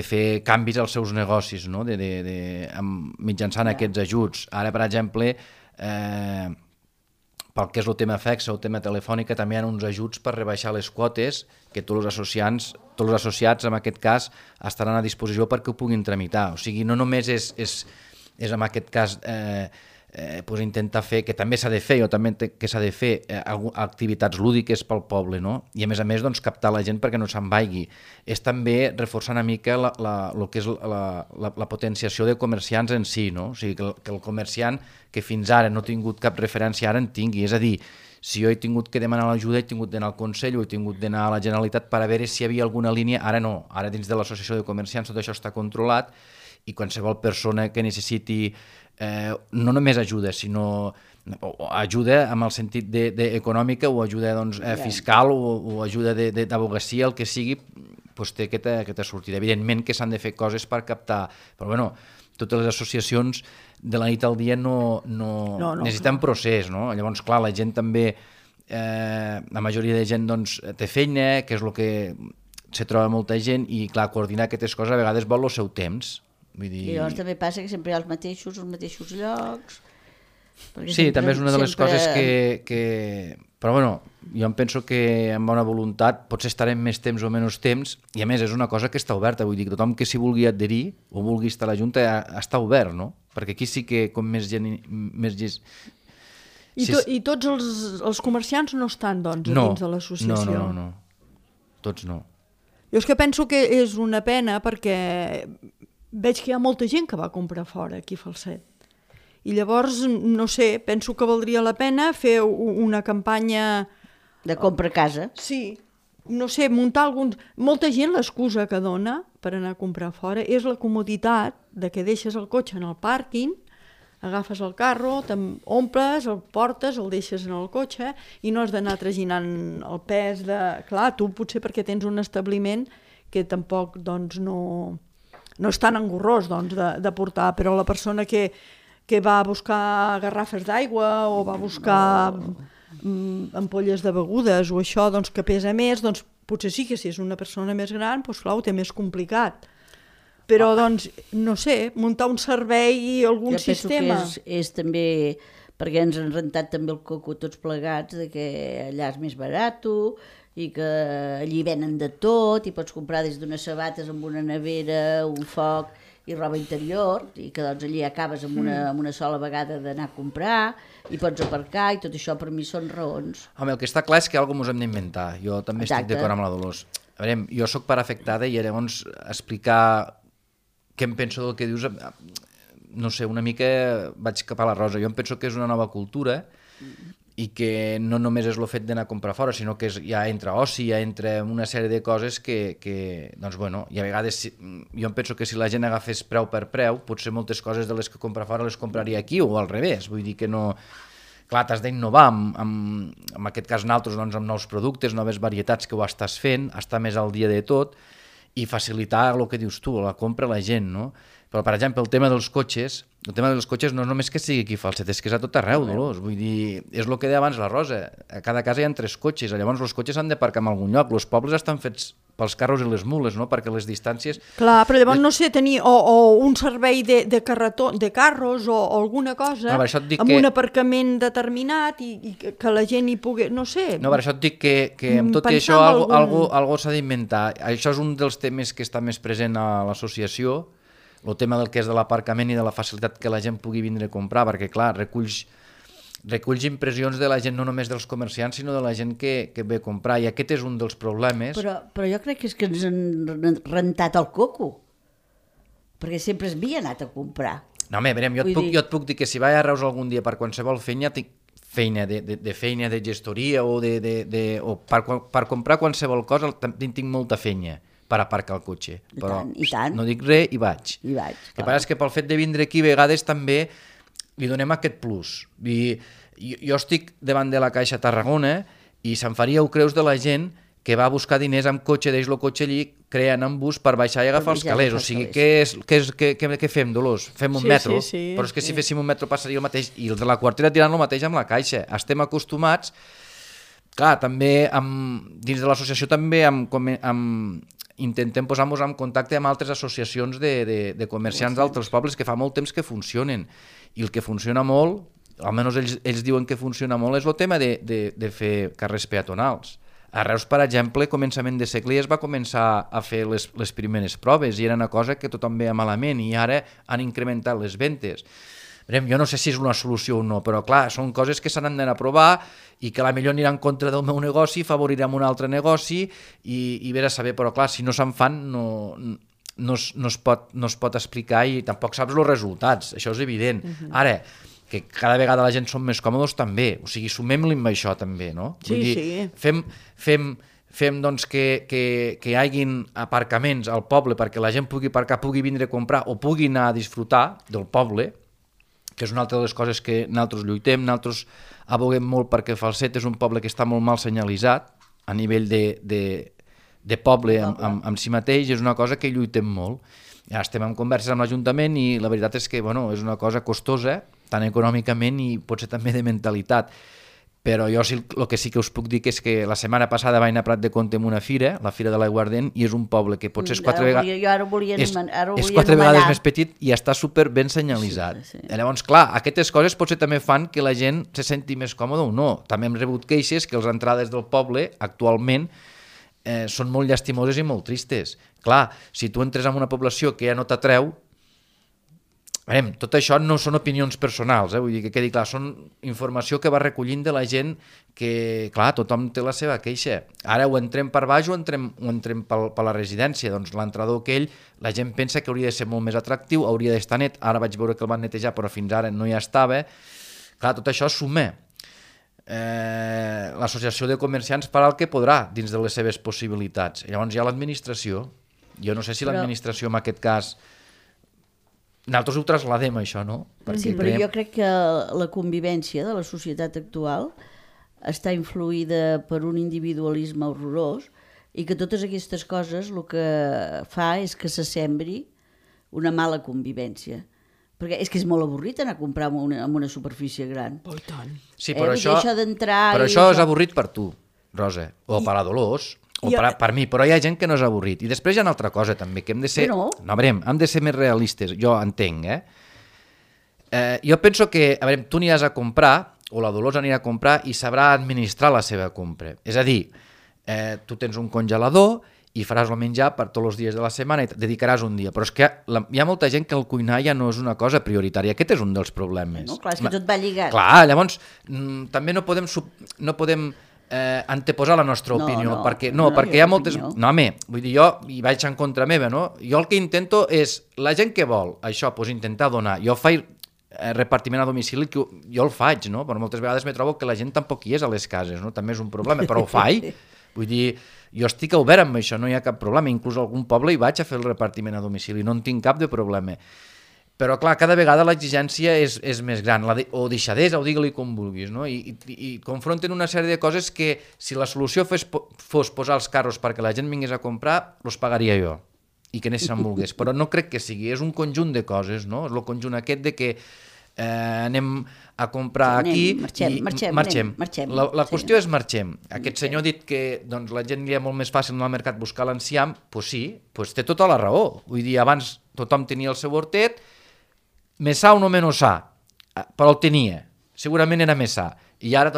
fer canvis als seus negocis, no? Mitjançant aquests ajuts. Ara, per exemple, pel que és el tema fixa o el tema telefònica, també hi ha uns ajuts per rebaixar les quotes que tots els associats, en aquest cas, estaran a disposició perquè ho puguin tramitar. O sigui, no només és en aquest cas intentar fer, que també s'ha de fer, o també que s'ha de fer activitats lúdiques pel poble, no? I a més, doncs, captar la gent perquè no se'n vagi. És també reforçar una mica el que és la potenciació de comerciants en si, no? O sigui, que el comerciant que fins ara no ha tingut cap referència ara en tingui. És a dir, si jo he tingut que demanar l'ajuda, he tingut d'anar al Consell o he tingut d'anar a la Generalitat per a veure si hi havia alguna línia. Ara no, ara dins de l'associació de comerciants tot això està controlat, i qualsevol persona que necessiti no només ajuda, sinó ajuda amb el sentit econòmica, o ajuda fiscal, o ajuda d'advocacia, el que sigui, té aquesta sortida. Evidentment que s'han de fer coses per captar, però bueno, totes les associacions de la nit al dia no necessiten procés, no? Llavors, clar, la gent també, la majoria de gent té feina, que és el que se troba molta gent, i clar, coordinar aquestes coses a vegades vol el seu temps. I llavors també passa que sempre hi ha els mateixos llocs. Sí, també és una de les coses que... Però bueno, jo em penso que amb bona voluntat potser estarem més temps o menys temps, i a més és una cosa que està oberta, vull dir que tothom que s'hi vulgui adherir o vulgui estar a la Junta està obert, no? Perquè aquí sí que com més gent... I tots els comerciants no estan, doncs, dins de l'associació? No, tots no. Jo és que penso que és una pena perquè veig que hi ha molta gent que va comprar fora aquí a Falset. I llavors, no sé, penso que valdria la pena fer una campanya... De compra a casa. Sí, no sé, muntar alguns... Molta gent l'excusa que dona per anar a comprar fora és la comoditat de que deixes el cotxe en el pàrquing, agafes el carro, omples, el portes, el deixes en el cotxe i no has d'anar traginant el pes de... Clar, tu potser perquè tens un establiment que tampoc doncs, no és tan engorrós doncs, de portar, però la persona que va a buscar garrafes d'aigua o va a buscar ampolles de begudes o això doncs, que pesa més, doncs, potser sí que si és una persona més gran, doncs, clar, ho té més complicat. Però, doncs, no sé, muntar un servei i algun sistema... Jo penso que és també, perquè ens han rentat també el coco tots plegats, de que allà és més barat i que allí venen de tot i pots comprar des d'unes sabates amb una nevera, un foc i roba interior, i que doncs allí acabes amb una sola vegada d'anar a comprar i pots aparcar, i tot això per mi són raons. Home, el que està clar és que alguna cosa ens hem d'inventar. Jo també estic d'acord amb la Dolors. A veure, jo soc part afectada i llavors explicar què em penso del que dius, no sé, una mica vaig cap a la Rosa. Jo em penso que és una nova cultura i que no només és el fet d'anar a comprar fora, sinó que ja entra oci, ja entra una sèrie de coses que doncs, bueno, i a vegades jo em penso que si la gent agafés preu per preu, potser moltes coses de les que compra fora les compraria aquí, o al revés, vull dir que no... Clar, t'has d'innovar, en aquest cas nosaltres, doncs, amb nous productes, noves varietats que ho estàs fent, estar més al dia de tot, i facilitar el que dius tu, la compra a la gent, no? Però, per exemple, el tema dels cotxes no és només que sigui aquí a Falset, és que és a tot arreu, Dolors. Vull dir, és el que deia abans la Rosa, a cada casa hi ha 3 cotxes, llavors els cotxes s'han d'aparcar en algun lloc, els pobles estan fets pels carros i les mules, no? Perquè les distàncies... Clar, però llavors, no sé, tenir o un servei de carros o alguna cosa, amb un aparcament determinat i que la gent hi pugui... No sé... No, per això et dic que amb tot i això algo s'ha d'inventar. Això és un dels temes que està més present a l'associació, el tema del que és de l'aparcament i de la facilitat que la gent pugui vindre a comprar, perquè clar, reculls reculls impressions de la gent, no només dels comerciants, sinó de la gent que ve a comprar, i aquest és un dels problemes. Però jo crec que és que ens han rentat el coco, perquè sempre es havia anat a comprar. No, home, verem, jo et puc dir que si vaig a Reus algun dia per qualsevol feina, tinc feina de gestoria o per comprar qualsevol cosa, tinc molta feina per aparcar el cotxe. Però no dic res i vaig. El que passa és que pel fet de vindre aquí, a vegades també li donem aquest plus. Jo estic davant de la Caixa Tarragona i se'n faríeu creus de la gent que va a buscar diners amb cotxe, deix el cotxe allí, creen en bus per baixar i agafar els calés. O sigui, què fem, Dolors? Fem un metro? Però és que si féssim un metro passaria el mateix, i els de la quartera tirant el mateix amb la Caixa. Estem acostumats, clar, també dins de l'associació també intentem posar-nos en contacte amb altres associacions de comerciants d'altres pobles que fa molt temps que funcionen, i el que funciona molt, almenys ells diuen que funciona molt, és el tema de fer carrers peatonals. A Reus, per exemple, a començament de segle es va començar a fer les primeres proves i era una cosa que tothom veia malament i ara han incrementat les ventes. Jo no sé si és una solució o no, però clar, són coses que s'han d'anar a provar i que potser anirà en contra del meu negoci, favorirem un altre negoci i vés a saber, però clar, si no se'n fan no es pot explicar i tampoc saps els resultats, això és evident. Ara, que cada vegada la gent som més còmodes també, o sigui, sumem-li amb això també, no? Sí, sí. Fem doncs que hi hagin aparcaments al poble perquè la gent pugui aparcar, pugui vindre a comprar o pugui anar a disfrutar del poble, que és una altra de les coses que nosaltres lluitem. Nosaltres aboguem molt perquè Falset és un poble que està molt mal senyalitzat a nivell de poble amb si mateix, és una cosa que lluitem molt. Ja estem en converses amb l'Ajuntament i la veritat és que és una cosa costosa, tant econòmicament i potser també de mentalitat. Però jo el que sí que us puc dir és que la setmana passada vaig anar a Prat de Comte en una fira, la Fira de l'Aiguardent, i és un poble que potser és 4 vegades més petit i està super ben senyalitzat. Llavors, clar, aquestes coses potser també fan que la gent se senti més còmoda o no. També hem rebut queixes que les entrades del poble actualment són molt llastimoses i molt tristes. Clar, si tu entres en una població que ja no t'atreu, tot això no són opinions personals, vull dir que quedi clar, són informació que va recollint de la gent que, clar, tothom té la seva queixa. Ara ho entrem per baix o entrem per la residència, doncs l'entrador aquell, la gent pensa que hauria de ser molt més atractiu, hauria d'estar net, ara vaig veure que el van netejar però fins ara no hi estava. Clar, tot això suma. L'associació de comerciants farà el que podrà dins de les seves possibilitats. Llavors hi ha l'administració. Jo no sé si l'administració en aquest cas... Nosaltres ho trasladem, això, no? Sí, però jo crec que la convivència de la societat actual està influïda per un individualisme horrorós i que totes aquestes coses el que fa és que se sembri una mala convivència. Perquè és que és molt avorrit anar a comprar en una superfície gran. Oh, tant. Sí, però això és avorrit per tu, Rosa, o per la Dolors, o per mi, però hi ha gent que no és avorrit. I després hi ha una altra cosa també, que hem de ser... hem de ser més realistes, jo entenc, jo penso que, tu aniràs a comprar, o la Dolors anirà a comprar i sabrà administrar la seva compra. És a dir, tu tens un congelador i faràs el menjar per tots els dies de la setmana i et dedicaràs un dia. Però és que hi ha molta gent que el cuinar ja no és una cosa prioritària. Aquest és un dels problemes. No, clar, és que tot va lligat. Clar, llavors també no podem anteposar la nostra opinió, perquè hi ha moltes... No, home, vull dir, jo hi vaig en contra meva, no? Jo el que intento és, la gent que vol això, doncs intentar donar. Jo faig repartiment a domicili, que jo el faig, no? Però moltes vegades me trobo que la gent tampoc hi és a les cases, no? També és un problema, però ho faig. Vull dir, jo estic obert amb això, no hi ha cap problema. Inclús a algun poble hi vaig a fer el repartiment a domicili, no en tinc cap de problema. Però, clar, cada vegada l'exigència és més gran, o deixadesa, o digue-li com vulguis, no? I confronten una sèrie de coses que, si la solució fos posar els carros perquè la gent vingués a comprar, els pagaria jo, i que n'és se'n volgués. Però no crec que sigui, és un conjunt de coses, no? És el conjunt aquest de que anem a comprar aquí i marxem. La qüestió és marxem. Aquest senyor ha dit que la gent li és molt més fàcil anar al mercat buscar l'enciam, doncs sí, té tota la raó. Vull dir, abans tothom tenia el seu hortet, més sa o no menys sa, però el tenia, segurament era més sa, i ara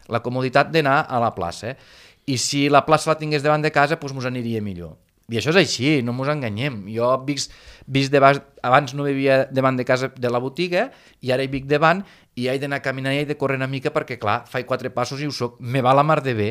la comoditat d'anar a la plaça, i si la plaça la tingués davant de casa, doncs ens aniria millor. I això és així, no ens enganyem. Jo vist abans no vivia davant de casa de la botiga i ara hi vic davant i he d'anar caminant i he de córrer una mica perquè, clar, faig 4 passos i ho soc. Me va la mar de bé.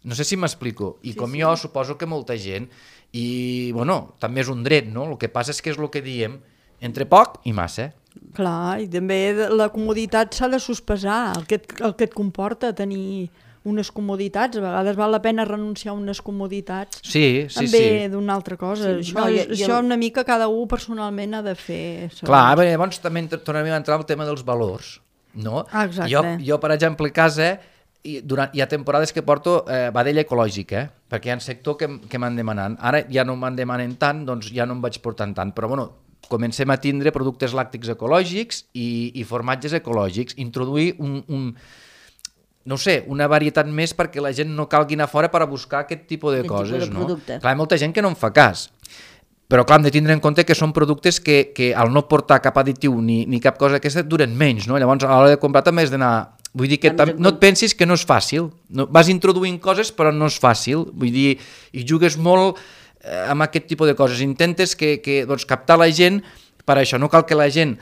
No sé si m'explico. I com jo, suposo que molta gent. I, bueno, també és un dret, no? El que passa és que és el que diem, entre poc i massa. Clar, i també la comoditat s'ha de sospesar, el que et comporta tenir unes comoditats, a vegades val la pena renunciar a unes comoditats també d'una altra cosa. Això una mica cada un personalment ha de fer. Clar, llavors també tornem a entrar al tema dels valors, no? Exacte. Jo, per exemple, a casa hi ha temporades que porto vedella ecològica, perquè hi ha un sector que m'han demanant. Ara ja no m'han demanant tant, doncs ja no em vaig portant tant, però bueno, comencem a tindre productes làctics ecològics i formatges ecològics, introduir no sé, una varietat més perquè la gent no calgui anar fora per a buscar aquest tipus de coses, no? Clar, hi ha molta gent que no en fa cas, però clar, hem de tindre en compte que són productes que al no portar cap additiu ni cap cosa aquesta duren menys, no? Llavors a l'hora de comprar també has d'anar... Vull dir que no et pensis que no és fàcil, vas introduint coses però no és fàcil, vull dir, i jugues molt amb aquest tipus de coses, intentes que captar la gent. Per això no cal que la gent,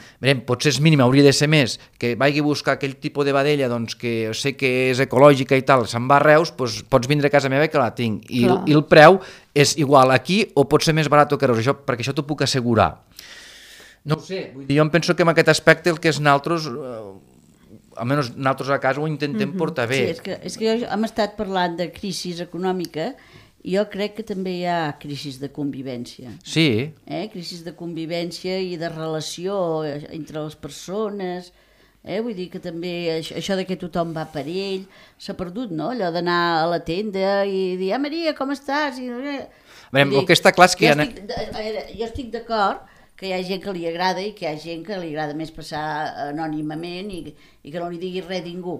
potser és mínim, hauria de ser més, que vagi a buscar aquell tipus de vedella que sé que és ecològica i tal, se'n va a Reus, doncs pots vindre a casa meva que la tinc. I el preu és igual aquí o pot ser més barat que a Reus, perquè això t'ho puc assegurar. No ho sé, vull dir, jo em penso que en aquest aspecte el que és nosaltres, almenys nosaltres a casa ho intentem portar bé. Sí, és que hem estat parlant de crisi econòmica. Jo crec que també hi ha crisis de convivència. Sí. Crisis de convivència i de relació entre les persones. Vull dir que també això de que tothom va per ell s'ha perdut, no? Allò d'anar a la tenda i dir, Maria, com estàs? El que està clar és que jo estic d'acord que hi ha gent que li agrada i que hi ha gent que li agrada més passar anònimament i que no li digui res a ningú.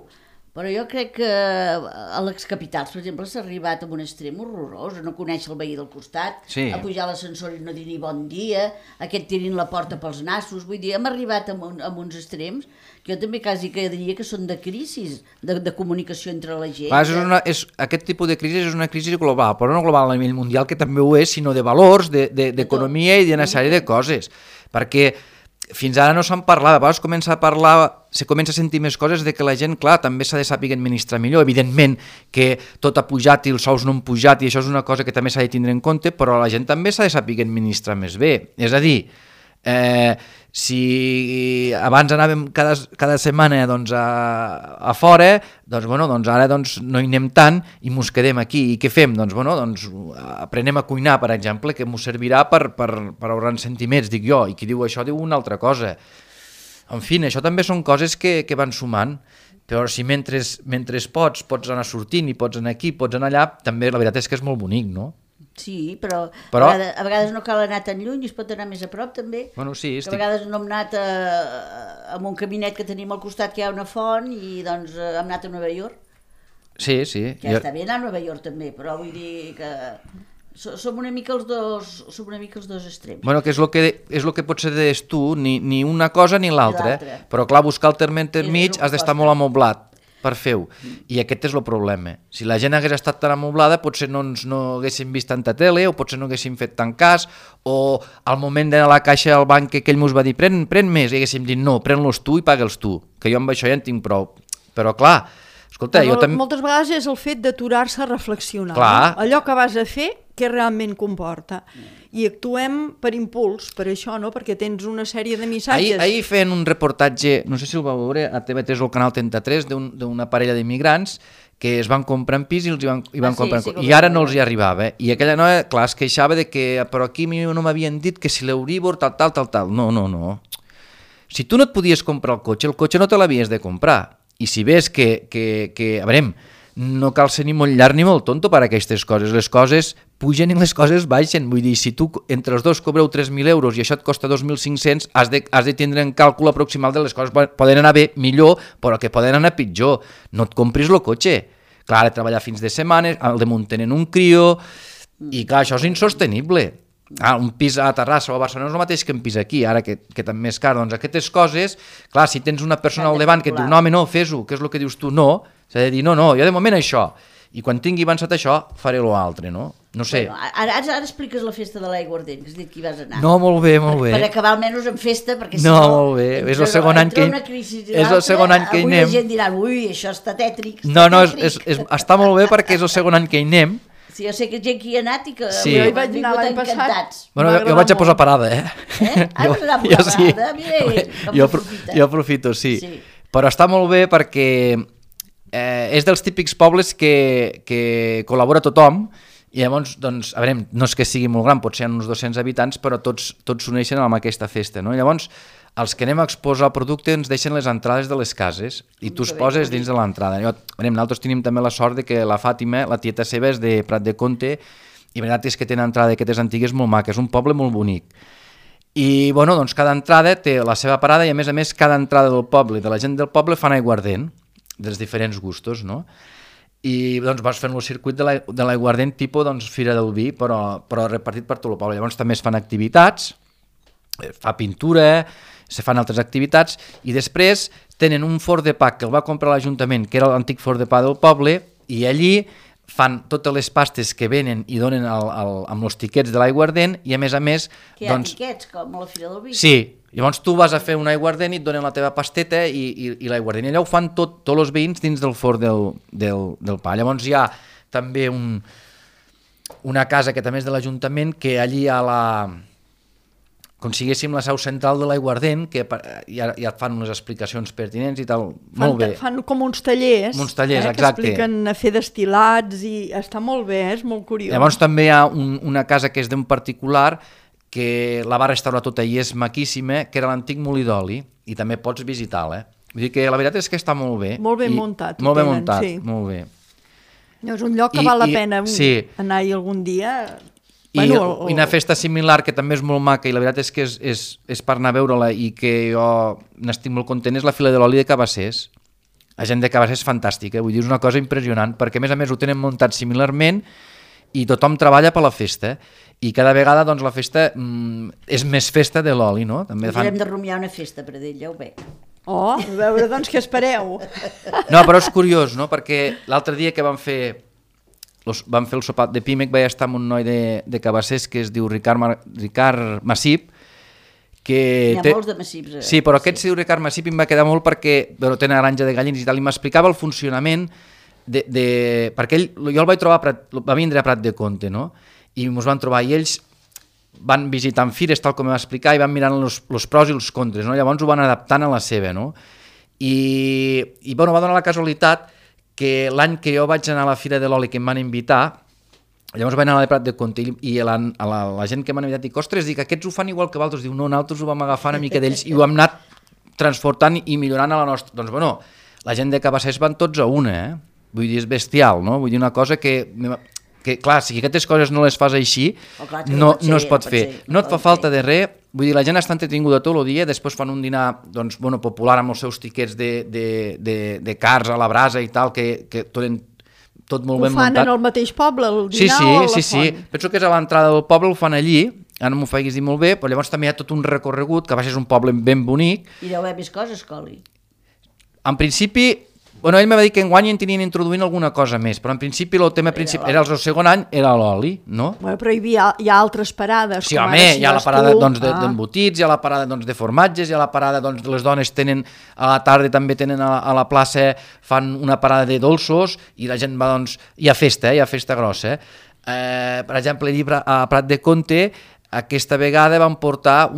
Però jo crec que a l'excapitals, per exemple, s'ha arribat a un extrem horrorós, a no conèixer el veí del costat, a pujar a l'ascensor i no dir ni bon dia, aquest tirin la porta pels nassos, vull dir, hem arribat a uns extrems que jo també quasi que diria que són de crisis, de comunicació entre la gent. Aquest tipus de crisi és una crisi global, però no global a nivell mundial, que també ho és, sinó de valors, d'economia i d'una sèrie de coses, perquè fins ara no se'n parlava, a vegades se comença a sentir més coses de que la gent, clar, també s'ha de saber administrar millor, evidentment que tot ha pujat i els sous no han pujat i això és una cosa que també s'ha de tindre en compte, però la gent també s'ha de saber administrar més bé, és a dir, si abans anàvem cada setmana a fora, doncs ara no hi anem tant i mos quedem aquí. I què fem? Doncs aprenem a cuinar, per exemple, que mos servirà per ahorrar sentiments, dic jo, i qui diu això diu una altra cosa. En fi, això també són coses que van sumant, però si mentre pots anar sortint i pots anar aquí, pots anar allà, també la veritat és que és molt bonic, no? Sí, però a vegades no cal anar tan lluny, es pot anar més a prop també. Bueno, sí, a vegades no hem anat a un caminet que tenim al costat que hi ha una font i doncs hem anat a Nova York. Sí. Que està bé anar a Nova York també, però vull dir que som una mica els dos extrems. Bueno, que és el que potser deies tu, ni una cosa ni l'altra, però clar, buscar el terme mig has d'estar molt amoblat per fer-ho, i aquest és el problema. Si la gent hagués estat tan amoblada, potser no haguéssim vist tanta tele, o potser no haguéssim fet tant cas, o al moment d'anar a la caixa al banc que ell mos va dir pren més, i haguéssim dit no, pren-los tu i paga'ls tu, que jo amb això ja en tinc prou. Però clar, escolta, jo també... Moltes vegades és el fet d'aturar-se a reflexionar. Clar. No? Allò que vas a fer, què realment comporta. I actuem per impuls, per això, no? Perquè tens una sèrie de missatges. Ahir feien un reportatge, no sé si el vau veure, a TV3 o al Canal 33, d'una parella d'immigrants que es van comprar en pis i van comprar i ara no els hi arribava. I aquella noia, clar, es queixava de que però aquí no m'havien dit que si l'Euribor tal. No. Si tu no et podies comprar el cotxe no te l'havies de comprar. I si ves que a veure, no cal ser ni molt llarg ni molt tonto per a aquestes coses. Les coses pugen i les coses baixen. Vull dir, si tu entre els dos cobreu 3.000 euros i això et costa 2.500, has de tindre en càlcul aproximal de les coses. Poden anar bé, millor, però que poden anar pitjor. No et compris el cotxe. Clar, ha de treballar fins de setmanes, el de muntar en un crió, i clar, això és insostenible. Un pis a Terrassa o a Barcelona és el mateix que un pis aquí, ara que també és car. Doncs aquestes coses, clar, si tens una persona al davant que et diu no, home, no, fes-ho, que és el que dius tu, no, s'ha de dir no, jo de moment això. I quan tingui avançat això, faré l'altre, no? No sé. Bueno, ara expliques la festa de l'aiguardent, que has dit que hi vas anar. No, molt bé, molt bé. Per acabar almenys en festa, perquè si No, no... molt bé. És el segon any que... És el segon any que hi avui anem. la gent dirà, ui, això està tètric. No, està molt bé perquè és el segon any que hi anem. Sí, jo sé que gent que hi ha anat i que Sí. Jo hi vaig anar l'any passat. encantats. Bueno, M'ha jo vaig a posar agradat parada, Ah, vas anar a posar parada? Mira ell, com aprofita. Jo aprofito, sí. Sí. Però està molt bé perquè és dels típics pobles que col·labora tothom i llavors, doncs, a veure, no és que sigui molt gran, potser hi ha uns 200 habitants, però tots s'uneixen amb aquesta festa, no? I llavors, els que anem a exposar el producte ens deixen les entrades de les cases i tu es poses dins de l'entrada. Nosaltres tenim també la sort de que la Fàtima, la tieta seva, és de Prat de Comte i la veritat és que tenen entrada d'aquestes antigues molt maca, és un poble molt bonic. I, bueno, doncs cada entrada té la seva parada i, a més, cada entrada del poble, de la gent del poble, fan aiguardent, dels diferents gustos, no? I doncs vas fent el circuit de l'aiguardent tipus doncs, Fira del Vi, però repartit per tot el poble. Llavors també es fan activitats, fa pintura, se fan altres activitats i després tenen un forn de pa que el va comprar l'Ajuntament, que era l'antic forn de pa del poble, i allí fan totes les pastes que venen i donen amb els tiquets de l'aiguardent i a més... Que hi ha doncs, tiquets, com a la Fira del Vi. Sí, llavors tu vas a fer un aiguardent i et donen la teva pasteta i l'aiguardent. I allà ho fan tots els veïns dins del forn del pa. Llavors hi ha també una casa que també és de l'Ajuntament, que allí hi ha com si diguéssim la seu central de l'aiguardent, que ja et fan unes explicacions pertinents i tal. Molt bé. Fan com uns tallers, exacte. Que expliquen a fer destil·lats i està molt bé, és molt curiós. Llavors també hi ha una casa que és d'un particular que la va restaurar tota i és maquíssima, que era l'antic molí d'oli, i també pots visitar-la. Vull dir que la veritat és que està molt bé. Molt ben muntat. Molt ben muntat, sí. Molt bé. És un lloc que val la pena anar-hi algun dia. I una festa similar que també és molt maca i la veritat és que és per anar a veure-la i que jo n'estic molt content és la Fira de l'Oli de Cabassers. La gent de Cabassers és fantàstica, vull dir, és una cosa impressionant perquè a més ho tenen muntat similarment i tothom treballa per la festa i cada vegada doncs, la festa és més festa de l'oli, no? També hem de rumiar una festa per dir, ja ho veig. Oh, a veure doncs què espereu. No, però és curiós, no? Perquè l'altre dia que vam fer el sopar de Pímec vaig estar amb un noi de Cabassers que es diu Ricard Massip, que hi ha molts de Massips. Sí, però aquest es diu Ricard Massip i em va quedar molt perquè té una granja de gallines i tal, i m'explicava el funcionament perquè jo el vaig trobar, va vindre a Prat de Comte, no? I ens van trobar, i ells van visitant fires, tal com em va explicar, i van mirant els pros i els contres, no? Llavors ho van adaptant a la seva, no? I bueno, va donar la casualitat que l'any que jo vaig anar a la Fira de l'Oli que em van invitar, llavors vaig anar a la Prat de Comte i la gent que m'han invitat dic, ostres, dic, aquests ho fan igual que vosaltres, diu, no, nosaltres ho vam agafar una mica d'ells i ho hem anat transportant i millorant a la nostra. Doncs bueno, la gent de Cabassers van tots a una, vull dir, és bestial, no? Vull dir, una cosa que clar, si aquestes coses no les fas així, no es pot fer. No et fa falta de res, vull dir, la gent està entretinguda tot el dia, després fan un dinar doncs, bueno, popular amb els seus tiquets de cars a la brasa i tal, que tot molt ben muntat. Ho fan en el mateix poble, el dinar o a la font? Sí. Penso que és a l'entrada del poble, ho fan allí, ara no m'ho faiguis dir molt bé, però llavors també hi ha tot un recorregut, que a vegades és un poble ben bonic. I deu haver més coses, Coli. En principi, bueno, ell me va dir que enguany en tenien introduint alguna cosa més, però en principi el tema principal era el segon any, era l'oli, no? Bueno, però hi ha altres parades. Sí, home, hi ha la parada d'embotits, hi ha la parada de formatges, hi ha la parada, les dones tenen, a la tarda també tenen a la plaça, fan una parada de dolços i la gent va, doncs, hi ha festa grossa. Per exemple, allí a Prat de Comte, aquesta vegada van portar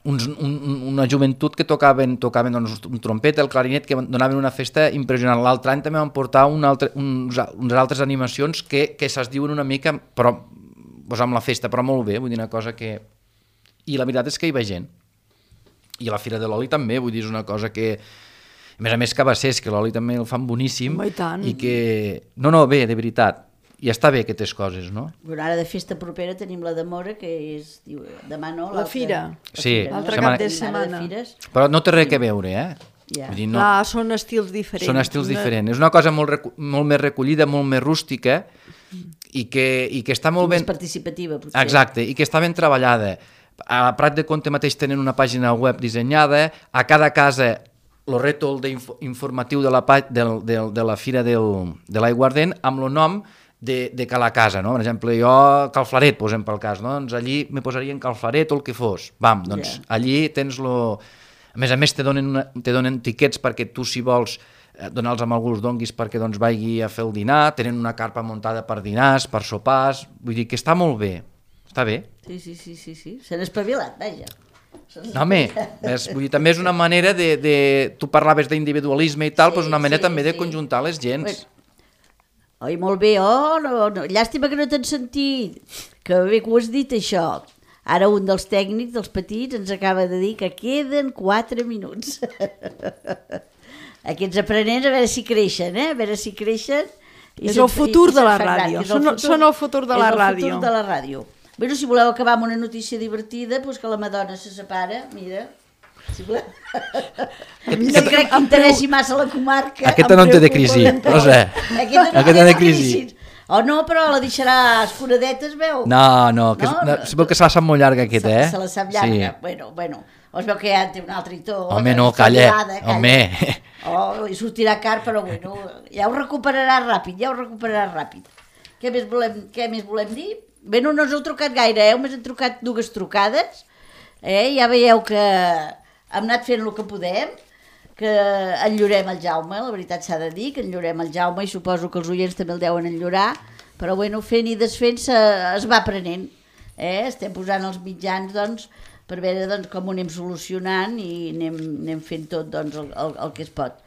una joventut que tocaven doncs, un trompet, el clarinet, que donaven una festa impressionant. L'altre any també van portar unes altres animacions que se'ls diuen una mica però, doncs amb la festa, però molt bé, vull dir una cosa que... I la veritat és que hi va gent. I a la Fira de l'Oli també, vull dir, és una cosa que... A més Cabassers, que l'oli també el fan boníssim. I tant. I que... No, bé, de veritat. I està bé aquestes coses, no? Bueno, ara de festa propera tenim la de Mora, que és... demà no? La fira. Sí. L'altre cap de setmana. Però no té res a veure, Ja. Vull dir, no. Clar, són estils diferents. Són estils diferents. És una cosa molt més recollida, molt més rústica i que està molt ben... Més participativa, potser. Exacte, i que està ben treballada. A Prat de Comte mateix tenen una pàgina web dissenyada, a cada casa el rètol informatiu de la Fira de l'Aiguardent amb el nom de cada casa, no? Per exemple, jo Calflaret, posem pel cas, no? Doncs allí me posarien Calflaret o el que fos. Doncs allí tens lo... A més, te donen tiquets perquè tu, si vols, donar-los amb algú, els donguis perquè doncs vagi a fer el dinar, tenen una carpa muntada per dinars, per sopars, vull dir que està molt bé, està bé. Sí, s'han espavilat, vaja. No, home, vull dir, també és una manera tu parlaves d'individualisme i tal, doncs una manera també de conjuntar les gens. Oi, molt bé, no, llàstima que no t'han sentit, que bé que ho has dit això. Ara un dels tècnics, dels petits, ens acaba de dir que queden 4 minuts. Aquests aprenents, a veure si creixen, a veure si creixen. És el futur de la ràdio, són el futur de la ràdio. És el futur de la ràdio. Bé, si voleu acabar amb una notícia divertida, doncs que la Madonna se separa, mira, si voleu. No crec que interessi massa la comarca. Aquesta no en té de crisi, Rosa. Aquesta no té de crisi. O no, però la deixarà escuradeta, es veu? No, es veu que se la sap molt llarga aquesta, Se la sap llarga, bueno, o es veu que ja té un altre i tot. Home, no, calla, home. Li sortirà car, però bueno, ja ho recuperarà ràpid, Què més volem dir? Bé, no us heu trucat gaire, només hem trucat 2 trucades, ja veieu que hem anat fent el que podem, que enllorem el Jaume, la veritat s'ha de dir, que enllorem el Jaume i suposo que els oients també el deuen enllorar, però bueno, fent i desfent es va aprenent, estem posant els mitjans doncs, per veure doncs, com ho anem solucionant i anem fent tot doncs, el que es pot.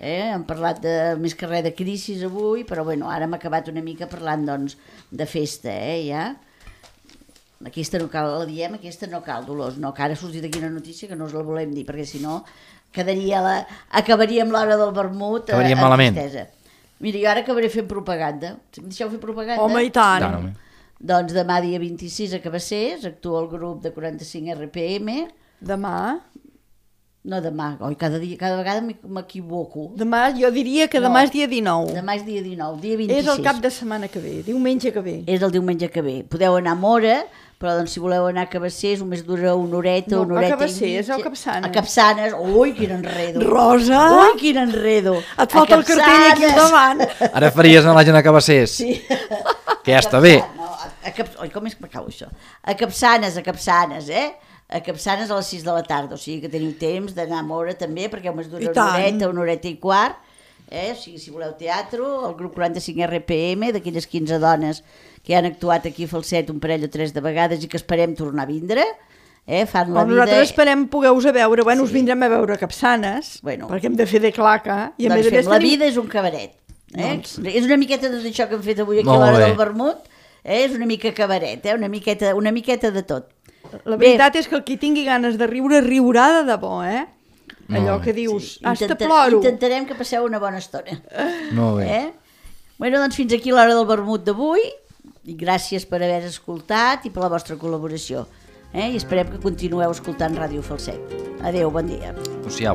Hem parlat més que res de crisi avui, però bueno, ara hem acabat una mica parlant doncs, de festa, ja. Aquesta no cal, la diem, aquesta no cal, Dolors, no, que ara ha sortit aquí una notícia que no us la volem dir, perquè si no acabaríem l'hora del vermut acabaríem malament. Mira, jo ara acabaré fent propaganda. Em deixeu fer propaganda? Home, i tant. Doncs demà dia 26 a Cabassers actua el grup de 45 RPM. Demà? No demà, cada vegada m'equivoco. Demà, jo diria que demà és dia 19. Demà és dia 19, dia 26. És el cap de setmana que ve, diumenge que ve. És el diumenge que ve. Podeu anar a Móra, però doncs, si voleu anar a Cabassers només dura una horeta no, i mitja. A Cabassers o a Capçanes? A Capçanes, ui, quin enredo. Rosa! Ui, quin enredo. Et falta el cartell aquí al davant. Ara faries anar la gent a Cabassers. Sí. Que ja està bé. Oi, com és que m'acabo això? A Capçanes, A Capçanes a les 6 de la tarda, o sigui que teniu temps d'anar a Móra també, perquè només dura una horeta i quart. O sigui, si voleu teatre, el grup 45 RPM, d'aquelles 15 dones que han actuat aquí a Falset un parell o 3 de vegades i que esperem tornar a vindre, fan la vida... Nosaltres esperem poder-vos a veure, bueno, us vindrem a veure a Capçanes, perquè hem de fer de claca. I a doncs fem, la vida és un cabaret. És una miqueta d'això que hem fet avui aquí a l'hora del vermut, és una mica cabaret, una miqueta de tot. La veritat és que el qui tingui ganes de riure, riurà de debò, Allò que dius, hasta ploro. Intentarem que passeu una bona estona. Molt bé. Bueno, doncs fins aquí l'hora del vermut d'avui, i gràcies per haver escoltat i per la vostra col·laboració. I esperem que continueu escoltant Ràdio Falset. Adéu, bon dia. Adéu-siau.